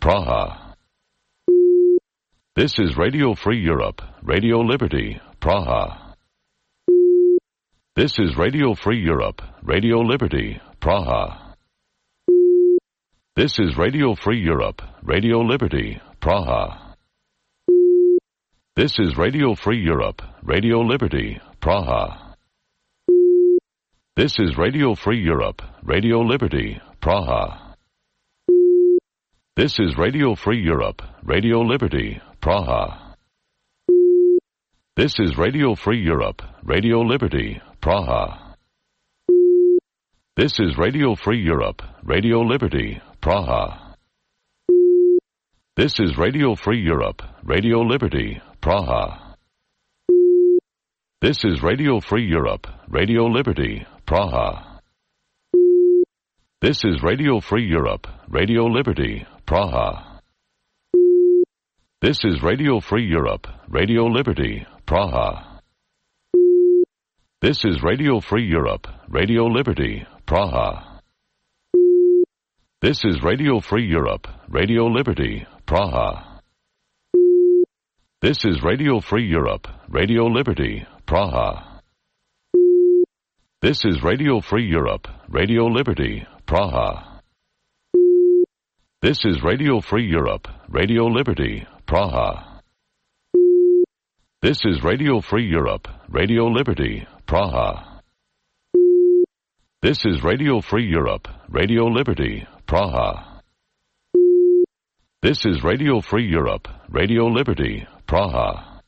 S16: Praha. This is Radio Free Europe, Radio Liberty, Praha. This is Radio Free Europe, Radio Liberty, Praha. This is Radio Free Europe, Radio Liberty, Praha. This is Radio Free Europe, Radio Liberty, Praha. This is Radio Free Europe, Radio Liberty, Praha. This is Radio Free Europe, Radio Liberty, Praha. This is Radio Free Europe, Radio Liberty, Praha. This is Radio Free Europe, Radio Liberty, Praha. This is Radio Free Europe, Radio Liberty, Praha. This is Radio Free Europe, Radio Liberty, Praha. This is Radio Free Europe, Radio Liberty, Praha. This is Radio Free Europe, Radio Liberty, Praha. This is Radio Free Europe, Radio Liberty, Praha. This is Radio Free Europe, Radio Liberty, Praha. This is Radio Free Europe, Radio Liberty, Praha. This is Radio Free Europe, Radio Liberty, Praha. This is Radio Free Europe, Radio Liberty, Praha. This is Radio Free Europe, Radio Liberty, Praha. This is Radio Free Europe, Radio Liberty, Praha.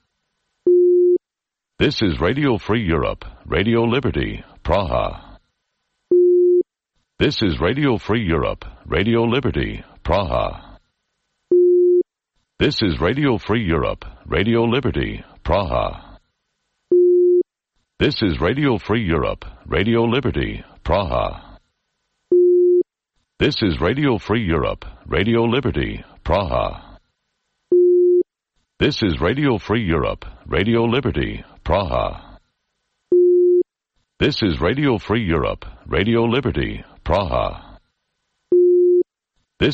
S16: This is Radio Free Europe, Radio Liberty, Praha. This is Radio Free Europe, Radio Liberty, Praha. This is Radio Free Europe, Radio Liberty, Praha. This is Radio Free Europe, Radio Liberty, Praha. This is Radio Free Europe, Radio Liberty, Praha. This is Radio Free Europe, Radio Liberty, Praha.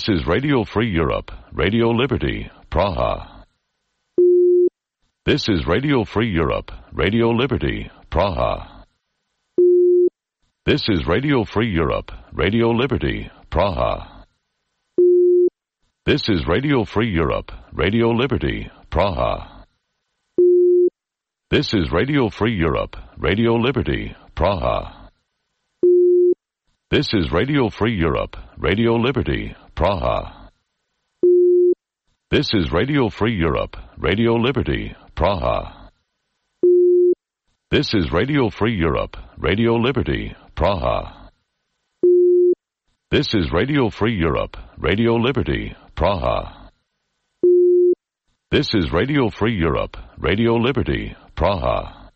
S16: This is Radio Free Europe, Radio Liberty, Praha. This is Radio Free Europe, Radio Liberty, Praha. This is Radio Free Europe, Radio Liberty, Praha. This is Radio Free Europe, Radio Liberty, Praha. This is Radio Free Europe, Radio Liberty, Praha. This is Radio Free Europe, Radio Liberty, Praha. This is Radio Free Europe, Radio Liberty, Praha. This is Radio Free Europe, Radio Liberty, Praha. This is Radio Free Europe, Radio Liberty, Praha. This is Radio Free Europe, Radio Liberty, Praha. This is Radio Free Europe, Radio Liberty, Praha. This is Radio Free Europe, Radio Liberty, Praha.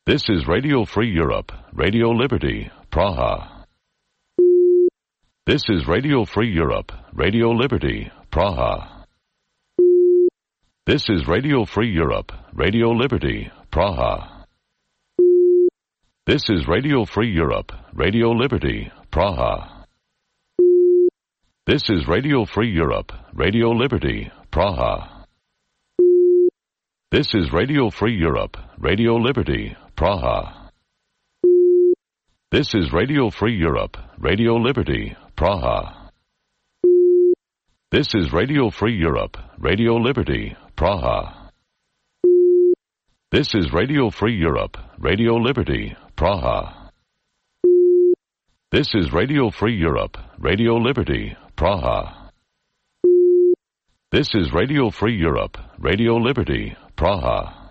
S16: This is Radio Free Europe, Radio Liberty, Praha. This is Radio Free Europe, Radio Liberty, Praha. This is Radio Free Europe, Radio Liberty, Praha. This is Radio Free Europe, Radio Liberty, Praha. This is Radio Free Europe, Radio Liberty, Praha. This is Radio Free Europe, Radio Liberty, Praha. This is Radio Free Europe, Radio Liberty, Praha. This is Radio Free Europe, Radio Liberty, Praha. This is Radio Free Europe, Radio Liberty, Praha. This is Radio Free Europe, Radio Liberty, Praha. This is Radio Free Europe, Radio Liberty, Praha.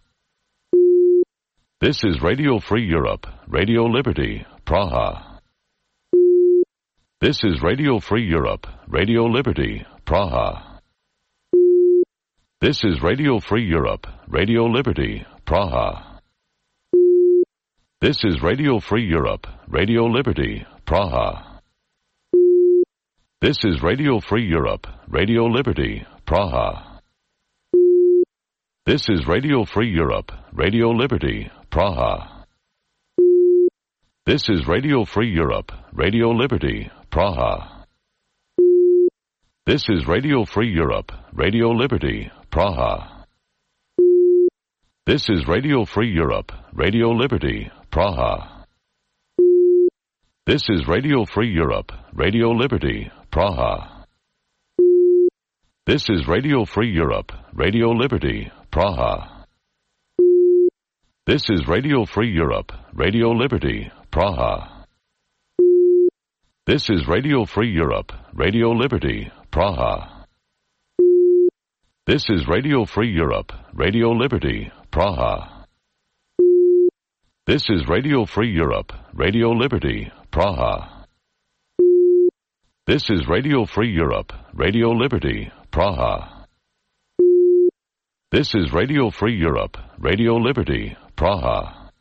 S16: This is Radio Free Europe, Radio Liberty, Praha. This is Radio Free Europe, Radio Liberty, Praha. This is Radio Free Europe, Radio Liberty, Praha. This is Radio Free Europe, Radio Liberty, Praha. This is Radio Free Europe, Radio Liberty, Praha. This is Radio Free Europe, Radio Liberty, Praha. This is Radio Free Europe, Radio Liberty, Praha. This is Radio Free Europe, Radio Liberty, Praha. This is Radio Free Europe, Radio Liberty, Praha. This is Radio Free Europe, Radio Liberty, Praha. This is Radio Free Europe, Radio Liberty, Praha. This is Radio Free Europe, Radio Liberty, Praha. This is Radio Free Europe, Radio Liberty, Praha. This is Radio Free Europe, Radio Liberty, Praha. This is Radio Free Europe, Radio Liberty, Praha. This is Radio Free Europe, Radio Liberty, Praha. This is Radio Free Europe, Radio Liberty, Praha.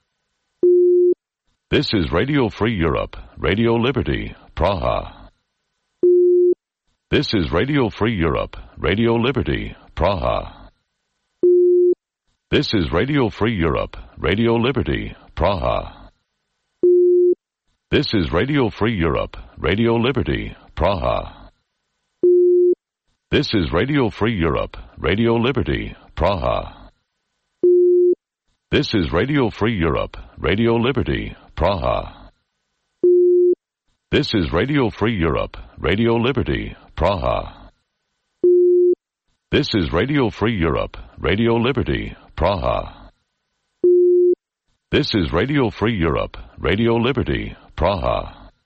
S16: This is Radio Free Europe, Radio Liberty, Praha. This is Radio Free Europe, Radio Liberty, Praha. This is Radio Free Europe, Radio Liberty, Praha. This is Radio Free Europe, Radio Liberty, Praha. This is Radio Free Europe, Radio Liberty, Praha. This is Radio Free Europe, Radio Liberty, Praha. This is Radio Free Europe, Radio Liberty, Praha. This is Radio Free Europe, Radio Liberty, Praha. This is Radio Free Europe, Radio Liberty, Praha. This is Radio Free Europe, Radio Liberty, Praha.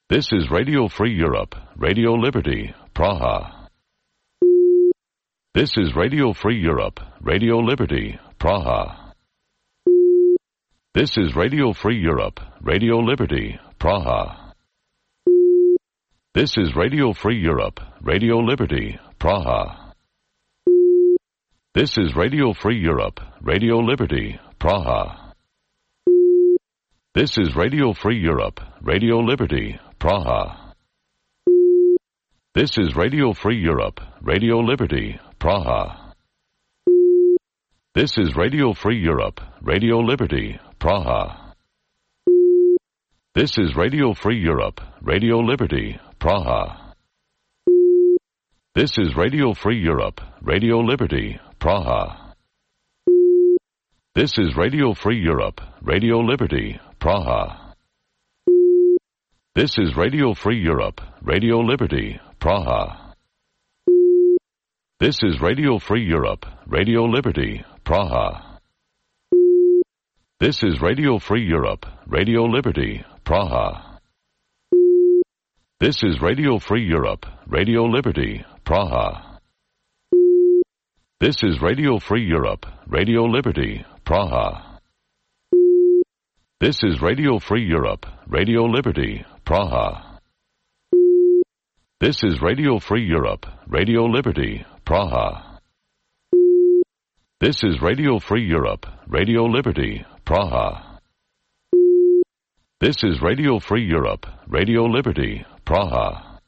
S16: This is Radio Free Europe, Radio Liberty, Praha. This is Radio Free Europe, Radio Liberty, Praha. This is Radio Free Europe, Radio Liberty, Praha. This is Radio Free Europe, Radio Liberty, Praha. This is Radio Free Europe, Radio Liberty, Praha. This is Radio Free Europe, Radio Liberty, Praha. This is Radio Free Europe, Radio Liberty, Praha. This is Radio Free Europe, Radio Liberty, Praha. This is Radio Free Europe, Radio Liberty, Praha. This is Radio Free Europe, Radio Liberty, Praha. This is Radio Free Europe, Radio Liberty, Praha. This is Radio Free Europe, Radio Liberty, Praha. This is Radio Free Europe, Radio Liberty, Praha. This is Radio Free Europe, Radio Liberty, Praha. This is Radio Free Europe, Radio Liberty, Praha. This is Radio Free Europe, Radio Liberty, Praha. This is Radio Free Europe, Radio Liberty, Praha. This is Radio Free Europe, Radio Liberty, Praha. This is Radio Free Europe, Radio Liberty, Praha.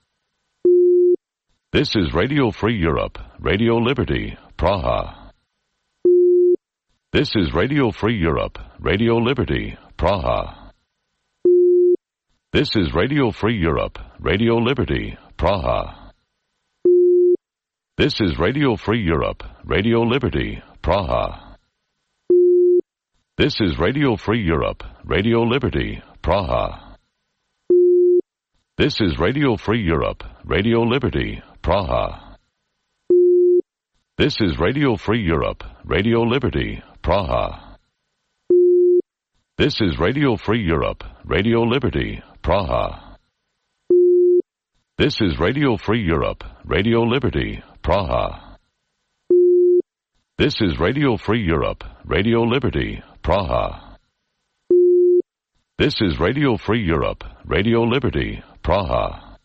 S16: This is Radio Free Europe, Radio Liberty, Praha. This is Radio Free Europe, Radio Liberty, Praha. This is Radio Free Europe, Radio Liberty, Praha. This is Radio Free Europe, Radio Liberty, Praha. This is Radio Free Europe, Radio Liberty, Praha. This is Radio Free Europe, Radio Liberty, Praha. This is Radio Free Europe, Radio Liberty, Praha. This is Radio Free Europe, Radio Liberty, Praha. This is Radio Free Europe, Radio Liberty, Praha. This is Radio Free Europe, Radio Liberty, Praha. This is Radio Free Europe, Radio Liberty, Praha.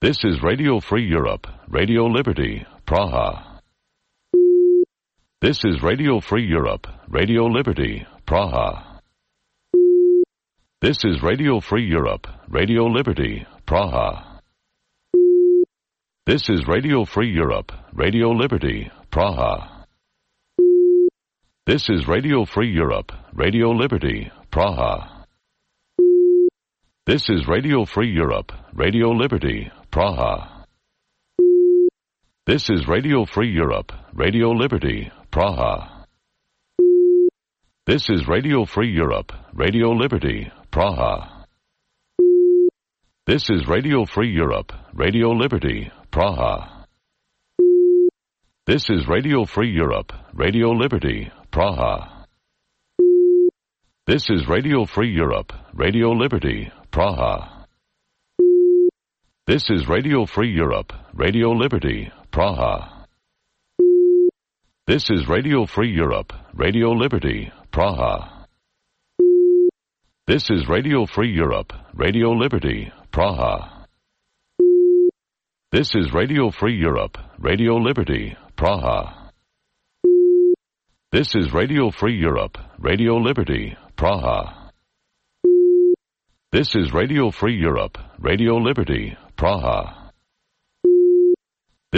S16: This is Radio Free Europe, Radio Liberty, Praha. This is Radio Free Europe, Radio Liberty, Praha. This is Radio Free Europe, Radio Liberty, Praha. This is Radio Free Europe, Radio Liberty, Praha. This is Radio Free Europe, Radio Liberty, Praha. This is Radio Free Europe, Radio Liberty, Praha. This is Radio Free Europe, Radio Liberty, Praha. This is Radio Free Europe, Radio Liberty, Praha. This is Radio Free Europe, Radio Liberty, Praha. This is Radio Free Europe, Radio Liberty, Praha. This is Radio Free Europe, Radio Liberty, Praha. This is Radio Free Europe, Radio Liberty, Praha. This is Radio Free Europe, Radio Liberty, Praha. This is Radio Free Europe, Radio Liberty, Praha. This is Radio Free Europe, Radio Liberty, Praha. This is Radio Free Europe, Radio Liberty, Praha. This is Radio Free Europe, Radio Liberty, Praha.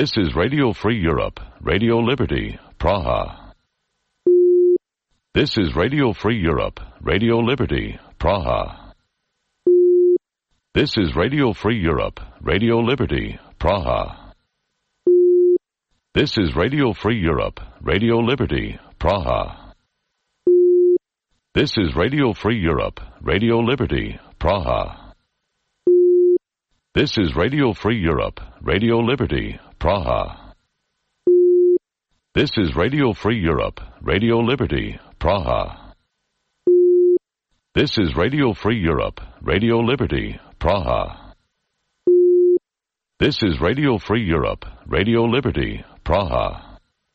S16: This is Radio Free Europe, Radio Liberty, Praha. This is Radio Free Europe, Radio Liberty, Praha. This is Radio Free Europe, Radio Liberty, Praha. This is Radio Free Europe, Radio Liberty, Praha. This is Radio Free Europe, Radio Liberty, Praha. This is Radio Free Europe, Radio Liberty, Praha. This is Radio Free Europe, Radio Liberty, Praha. This is Radio Free Europe, Radio Liberty, Praha. This is Radio Free Europe, Radio Liberty, Praha.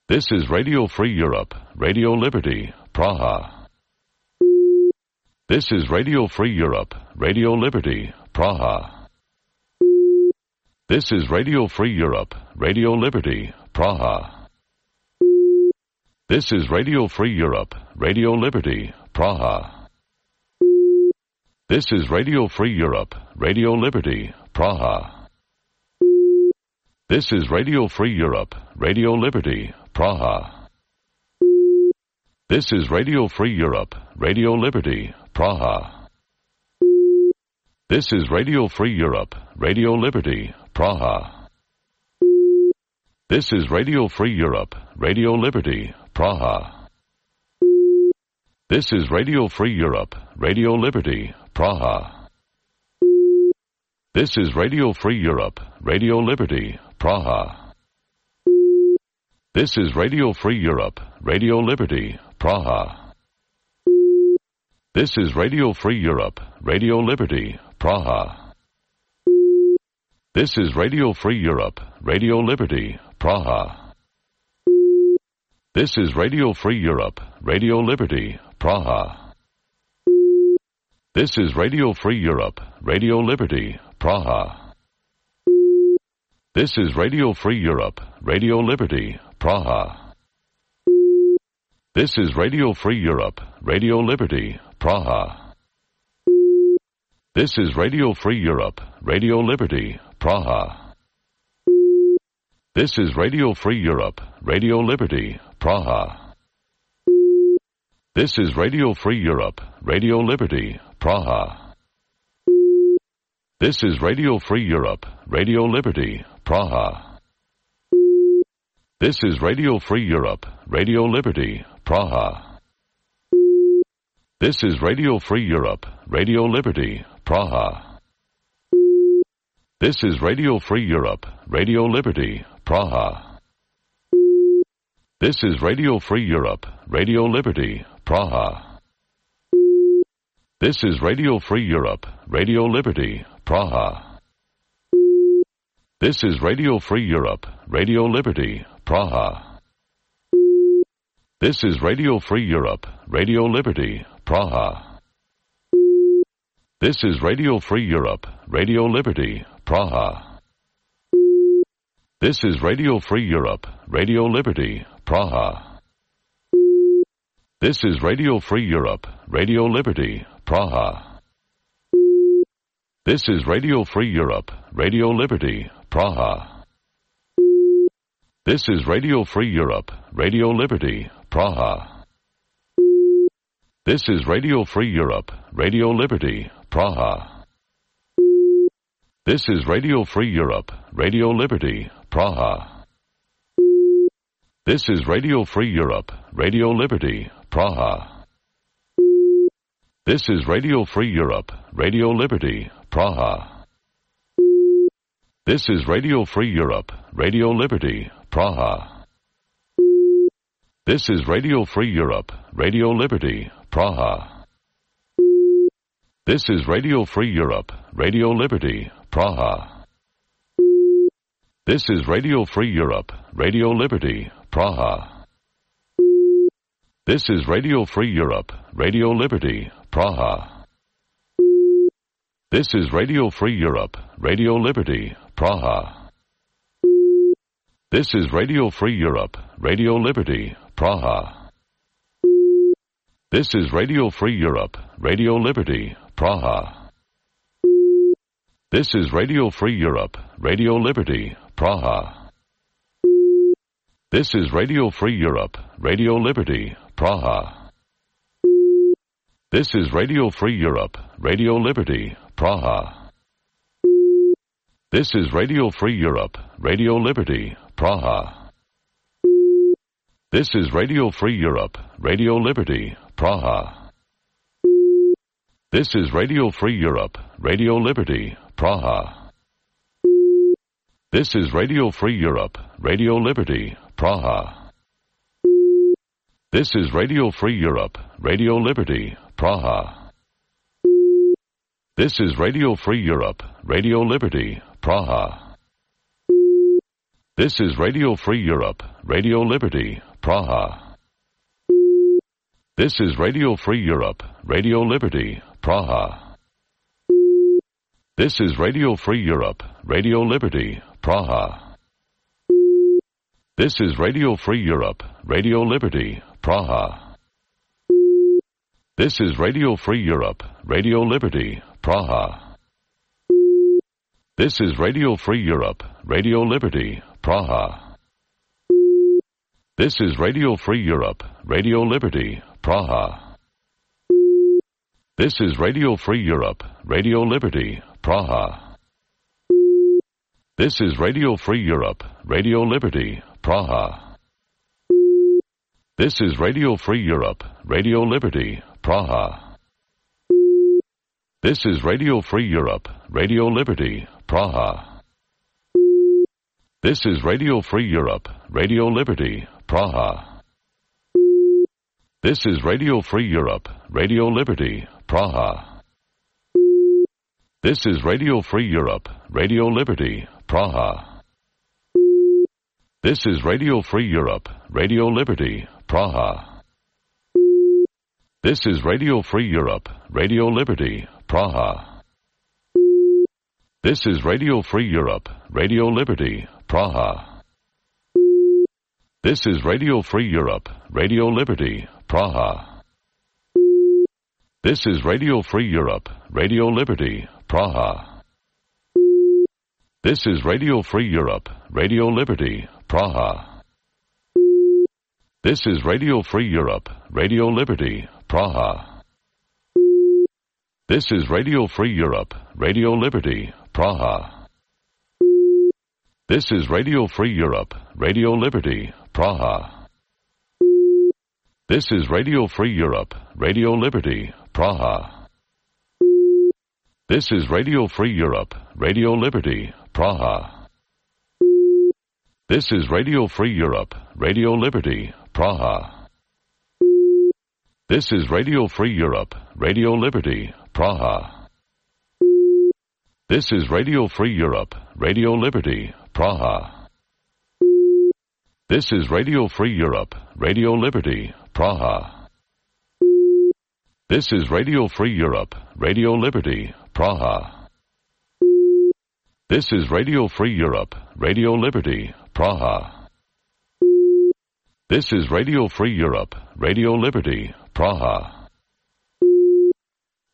S16: This is Radio Free Europe, Radio Liberty, Praha. This is Radio Free Europe, Radio Liberty, Praha. This is Radio Free Europe, Radio Liberty, Praha. This is Radio Free Europe, Radio Liberty, Praha. This is Radio Free Europe, Radio Liberty, Praha. This is Radio Free Europe, Radio Liberty, Praha. This is Radio Free Europe, Radio Liberty, Praha. This is Radio Free Europe, Radio Liberty, Praha. This is Radio Free Europe, Radio Liberty, Praha. This is Radio Free Europe, Radio Liberty, Praha. This is Radio Free Europe, Radio Liberty, Praha. This is Radio Free Europe, Radio Liberty, Praha. This is Radio Free Europe, Radio Liberty, Praha. This is Radio Free Europe, Radio Liberty, Praha. This is Radio Free Europe, Radio Liberty, Praha. This is Radio Free Europe, Radio Liberty, Praha. This is Radio Free Europe, Radio Liberty, Praha. This is Radio Free Europe, Radio Liberty, Praha. This is Radio Free Europe, Radio Liberty, Praha. This is Radio Free Europe, Radio Liberty, Praha. This is Radio Free Europe, Radio Liberty, Praha. This is Radio Free Europe, Radio Liberty, Praha. This is Radio Free Europe, Radio Liberty, Praha. This is Radio Free Europe, Radio Liberty, Praha. This is Radio Free Europe, Radio Liberty, Praha. This is Radio Free Europe, Radio Liberty, Praha. This is Radio Free Europe, Radio Liberty, Praha. This is Radio Free Europe, Radio Liberty, Praha. This is Radio Free Europe, Radio Liberty, Praha. This is Radio Free Europe, Radio Liberty, Praha. This is Radio Free Europe, Radio Liberty, Praha. This is Radio Free Europe, Radio Liberty, Praha. This is Radio Free Europe, Radio Liberty, Praha. This is Radio Free Europe, Radio Liberty, Praha. This is Radio Free Europe, Radio Liberty, Praha. This is Radio Free Europe, Radio Liberty, Praha. This is Radio Free Europe, Radio Liberty, Praha. This is Radio Free Europe, Radio Liberty, Praha. This is Radio Free Europe, Radio Liberty, Praha. This is Radio Free Europe, Radio Liberty, Praha. This is Radio Free Europe, Radio Liberty, Praha. This is Radio Free Europe, Radio Liberty, Praha. This is Radio Free Europe, Radio Liberty, Praha. This is Radio Free Europe, Radio Liberty, Praha. This is Radio Free Europe, Radio Liberty, Praha. This is Radio Free Europe, Radio Liberty, Praha. This is Radio Free Europe, Radio Liberty, Praha. This is Radio Free Europe, Radio Liberty, Praha. This is Radio Free Europe, Radio Liberty, Praha. This is Radio Free Europe, Radio Liberty, Praha. This is Radio Free Europe, Radio Liberty, Praha. This is Radio Free Europe, Radio Liberty, Praha. This is Radio Free Europe, Radio Liberty, Praha. This is Radio Free Europe, Radio Liberty, Praha. This is Radio Free Europe, Radio Liberty, Praha. This is Radio Free Europe, Radio Liberty, Praha. This is Radio Free Europe, Radio Liberty, Praha. This is Radio Free Europe, Radio Liberty, Praha. This is Radio Free Europe, Radio Liberty, Praha. This is Radio Free Europe, Radio Liberty, Praha. This is Radio Free Europe, Radio Liberty, Praha. This is Radio Free Europe, Radio Liberty, Praha. This is Radio Free Europe, Radio Liberty, Praha. This is Radio Free Europe, Radio Liberty, Praha. This is Radio Free Europe, Radio Liberty, Praha. This is Radio Free Europe, Radio Liberty, Praha. This is Radio Free Europe, Radio Liberty, Praha. This is Radio Free Europe, Radio Liberty, Praha. This is Radio Free Europe, Radio Liberty, Praha. This is Radio Free Europe, Radio Liberty, Praha. This is Radio Free Europe, Radio Liberty, Praha. This is Radio Free Europe, Radio Liberty, Praha. This is Radio Free Europe, Radio Liberty, Praha. This is Radio Free Europe, Radio Liberty, Praha. This is Radio Free Europe, Radio Liberty, Praha. This is Radio Free Europe, Radio Liberty, Praha. This is Radio Free Europe, Radio Liberty, Praha. This is Radio Free Europe, Radio Liberty, Praha. This is Radio Free Europe, Radio Liberty, Praha. This is Radio Free Europe, Radio Liberty, Praha. This is Radio Free Europe, Radio Liberty, Praha. This is Radio Free Europe, Radio Liberty, Praha. This is Radio Free Europe, Radio Liberty, Praha. This is Radio Free Europe, Radio Liberty, Praha. This is Radio Free Europe, Radio Liberty, Praha. This is Radio Free Europe, Radio Liberty, Praha. This is Radio Free Europe, Radio Liberty, Praha.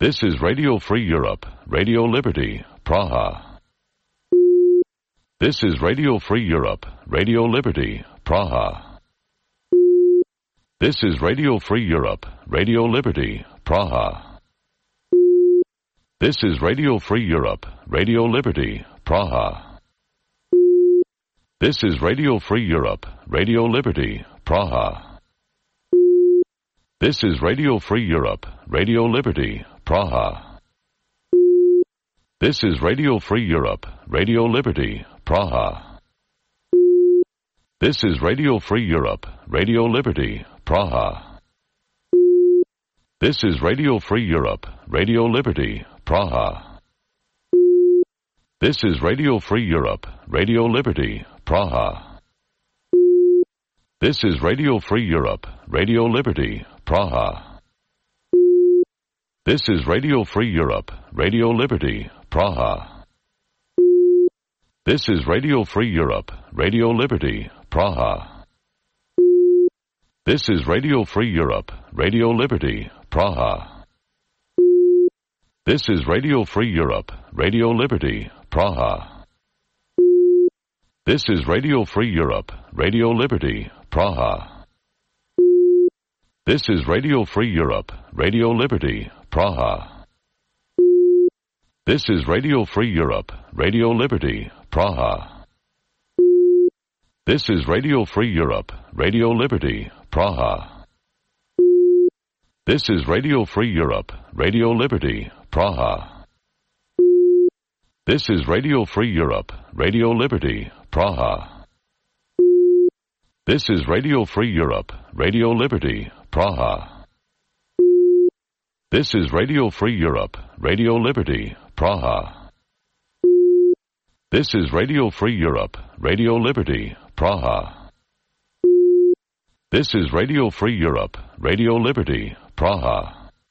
S16: This is Radio Free Europe, Radio Liberty, Praha. This is Radio Free Europe, Radio Liberty, Praha. This is Radio Free Europe, Radio Liberty, Praha. This is Radio Free Europe, Radio Liberty, Praha. This is Radio Free Europe, Radio Liberty, Praha. This is Radio Free Europe, Radio Liberty, Praha. This is Radio Free Europe, Radio Liberty, Praha. This is Radio Free Europe, Radio Liberty, Praha. This is Radio Free Europe, Radio Liberty, Praha. This is Radio Free Europe, Radio Liberty, Praha. This is Radio Free Europe, Radio Liberty, Praha. This is Radio Free Europe, Radio Liberty, Praha. This is Radio Free Europe, Radio Liberty, Praha. This is Radio Free Europe, Radio Liberty, Praha. This is Radio Free Europe, Radio Liberty, Praha. This is Radio Free Europe, Radio Liberty, Praha. This is Radio Free Europe, Radio Liberty, Praha. This is Radio Free Europe, Radio Liberty, Praha. This is Radio Free Europe, Radio Liberty, Praha. This is Radio Free Europe, Radio Liberty, Praha. This is Radio Free Europe, Radio Liberty, Praha. This is Radio Free Europe, Radio Liberty, Praha. This is Radio Free Europe, Radio Liberty, Praha. This is Radio Free Europe, Radio Liberty, Praha. This is Radio Free Europe, Radio Liberty, Praha.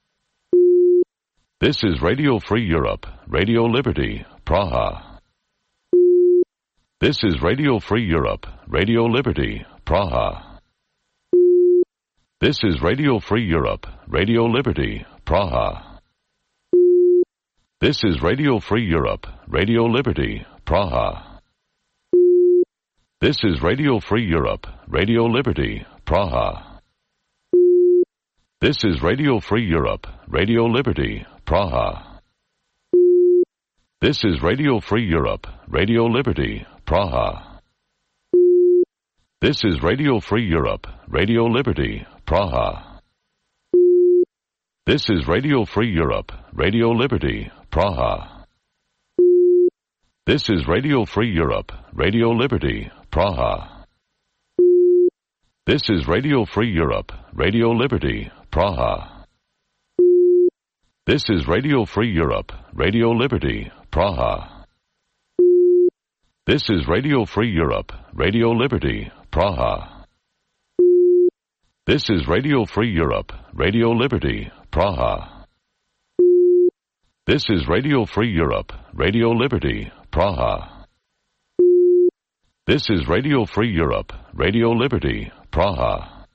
S16: This is Radio Free Europe, Radio Liberty, Praha. This is Radio Free Europe, Radio Liberty, Praha. This is Radio Free Europe, Radio Liberty, Praha. This is Radio Free Europe, Radio Liberty, Praha. This is Radio Free Europe, Radio Liberty, Praha. This is Radio Free Europe, Radio Liberty, Praha. This is Radio Free Europe, Radio Liberty, Praha. This is Radio Free Europe, Radio Liberty, Praha. This is Radio Free Europe, Radio Liberty, Praha. This is Radio Free Europe, Radio Liberty, Praha. This is Radio Free Europe, Radio Liberty, Praha. This is Radio Free Europe, Radio Liberty, Praha. This is Radio Free Europe, Radio Liberty, Praha. This is Radio Free Europe, Radio Liberty, Praha. This is Radio Free Europe, Radio Liberty, Praha. This is Radio Free Europe, Radio Liberty, Praha.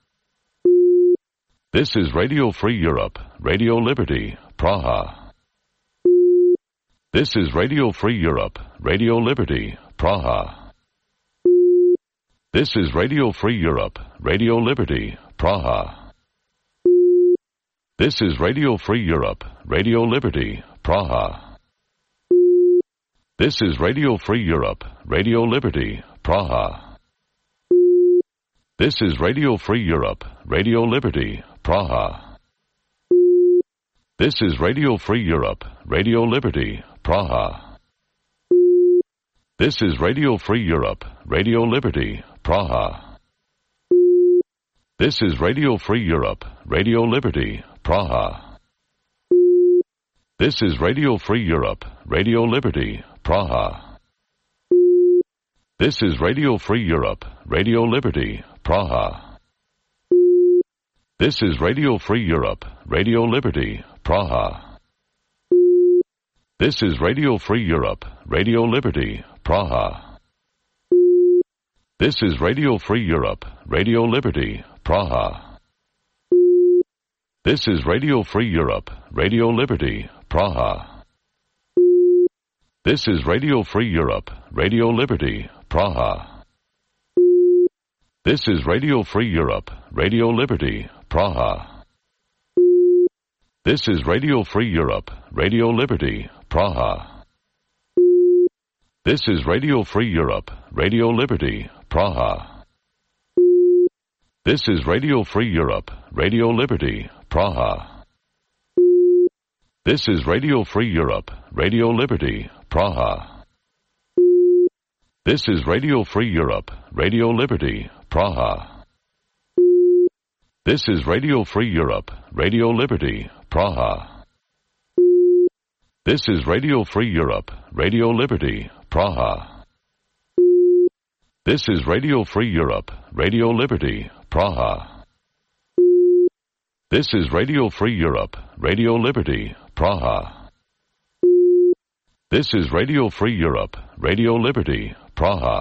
S16: This is Radio Free Europe, Radio Liberty, Praha. This is Radio Free Europe, Radio Liberty, Praha. This is Radio Free Europe, Radio Liberty, Praha. This is Radio Free Europe, Radio Liberty, Praha. This is Radio Free Europe, Radio Liberty, Praha. This is Radio Free Europe, Radio Liberty, Praha. This is Radio Free Europe, Radio Liberty, Praha. This is Radio Free Europe, Radio Liberty, Praha. This is Radio Free Europe, Radio Liberty, Praha. This is Radio Free Europe, Radio Liberty, Praha. This is Radio Free Europe, Radio Liberty, Praha. This is Radio Free Europe, Radio Liberty, Praha. This is Radio Free Europe, Radio Liberty, Praha. This is Radio Free Europe, Radio Liberty, Praha. This is Radio Free Europe, Radio Liberty, Praha. This is Radio Free Europe, Radio Liberty, Praha. This is Radio Free Europe, Radio Liberty, Praha. This is Radio Free Europe, Radio Liberty, Praha. This is Radio Free Europe, Radio Liberty, Praha. This is Radio Free Europe, Radio Liberty, Praha. This is Radio Free Europe, Radio Liberty, Praha. This is Radio Free Europe, Radio Liberty, Praha. This is Radio Free Europe, Radio Liberty, Praha. This is Radio Free Europe, Radio Liberty, Praha. This is Radio Free Europe, Radio Liberty, Praha. This is Radio Free Europe, Radio Liberty, Praha. This is Radio Free Europe, Radio Liberty, Praha.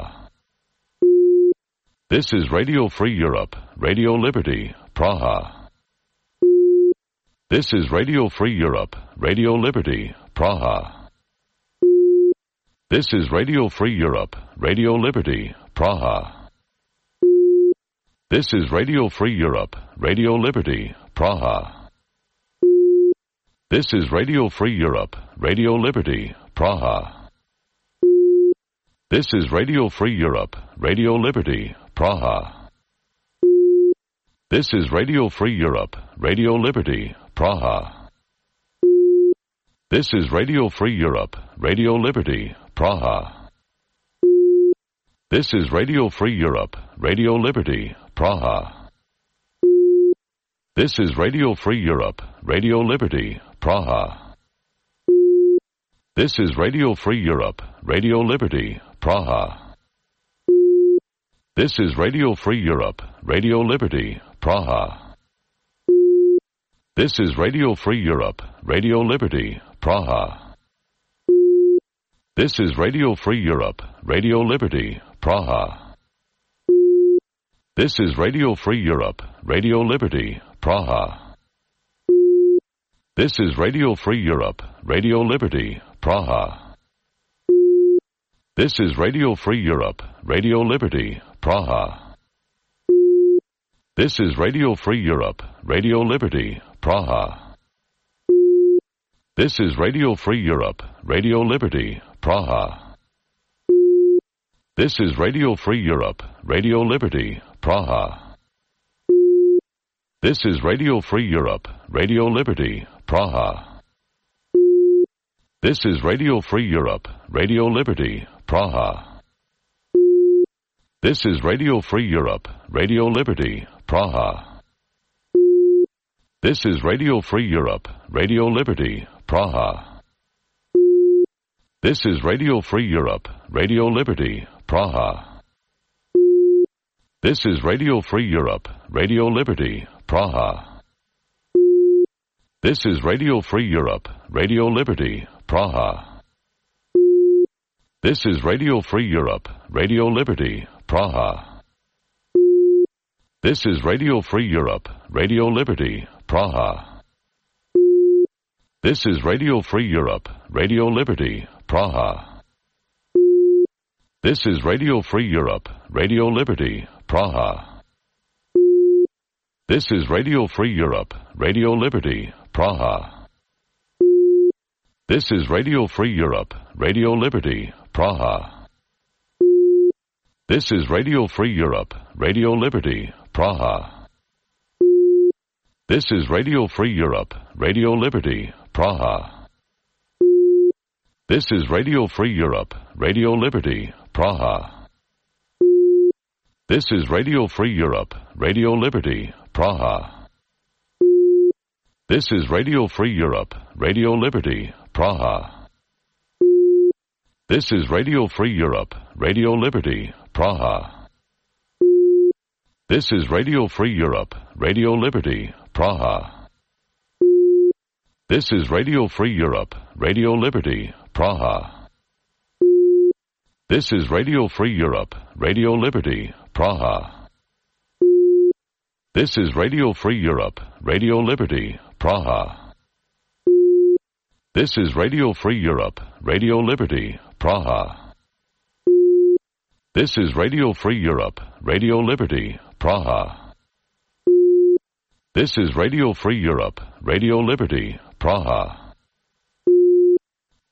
S16: This is Radio Free Europe, Radio Liberty, Praha. This is Radio Free Europe, Radio Liberty, Praha. This is Radio Free Europe, Radio Liberty, Praha. This is Radio Free Europe, Radio Liberty, Praha. This is Radio Free Europe, Radio Liberty, Praha. This is Radio Free Europe, Radio Liberty, Praha. This is Radio Free Europe, Radio Liberty, Praha. This is Radio Free Europe, Radio Liberty, Praha. This is Radio Free Europe, Radio Liberty, Praha. This is Radio Free Europe, Radio Liberty, Praha. This is Radio Free Europe, Radio Liberty, Praha. This is Radio Free Europe, Radio Liberty, Praha. This is Radio Free Europe, Radio Liberty, Praha. This is Radio Free Europe, Radio Liberty, Praha. This is Radio Free Europe, Radio Liberty, Praha. This is Radio Free Europe, Radio Liberty, Praha. This is Radio Free Europe, Radio Liberty, Praha. This is Radio Free Europe, Radio Liberty, Praha. This is Radio Free Europe, Radio Liberty, Praha. This is Radio Free Europe, Radio Liberty, Praha. This is Radio Free Europe, Radio Liberty, Praha. This is Radio Free Europe, Radio Liberty, Praha. This is Radio Free Europe, Radio Liberty, Praha. This is Radio Free Europe, Radio Liberty, Praha. This is Radio Free Europe, Radio Liberty, Praha. This is Radio Free Europe, Radio Liberty, Praha. This is Radio Free Europe, Radio Liberty, Praha. This is Radio Free Europe, Radio Liberty, Praha. This is Radio Free Europe, Radio Liberty, Praha. This is Radio Free Europe, Radio Liberty, Praha. This is Radio Free Europe, Radio Liberty, Praha. This is Radio Free Europe, Radio Liberty, Praha. This is Radio Free Europe, Radio Liberty, Praha. This is Radio Free Europe, Radio Liberty, Praha. This is Radio Free Europe, Radio Liberty, Praha. This is Radio Free Europe, Radio Liberty, Praha. This is Radio Free Europe, Radio Liberty, Praha. This is Radio Free Europe, Radio Liberty, Praha. This is Radio Free Europe, Radio Liberty, Praha. This is Radio Free Europe, Radio Liberty, Praha. This is Radio Free Europe, Radio Liberty, Praha. This is Radio Free Europe, Radio Liberty, Praha. This is Radio Free Europe, Radio Liberty, Praha. This is Radio Free Europe, Radio Liberty, Praha. This is Radio Free Europe, Radio Liberty, Praha. This is Radio Free Europe, Radio Liberty, Praha.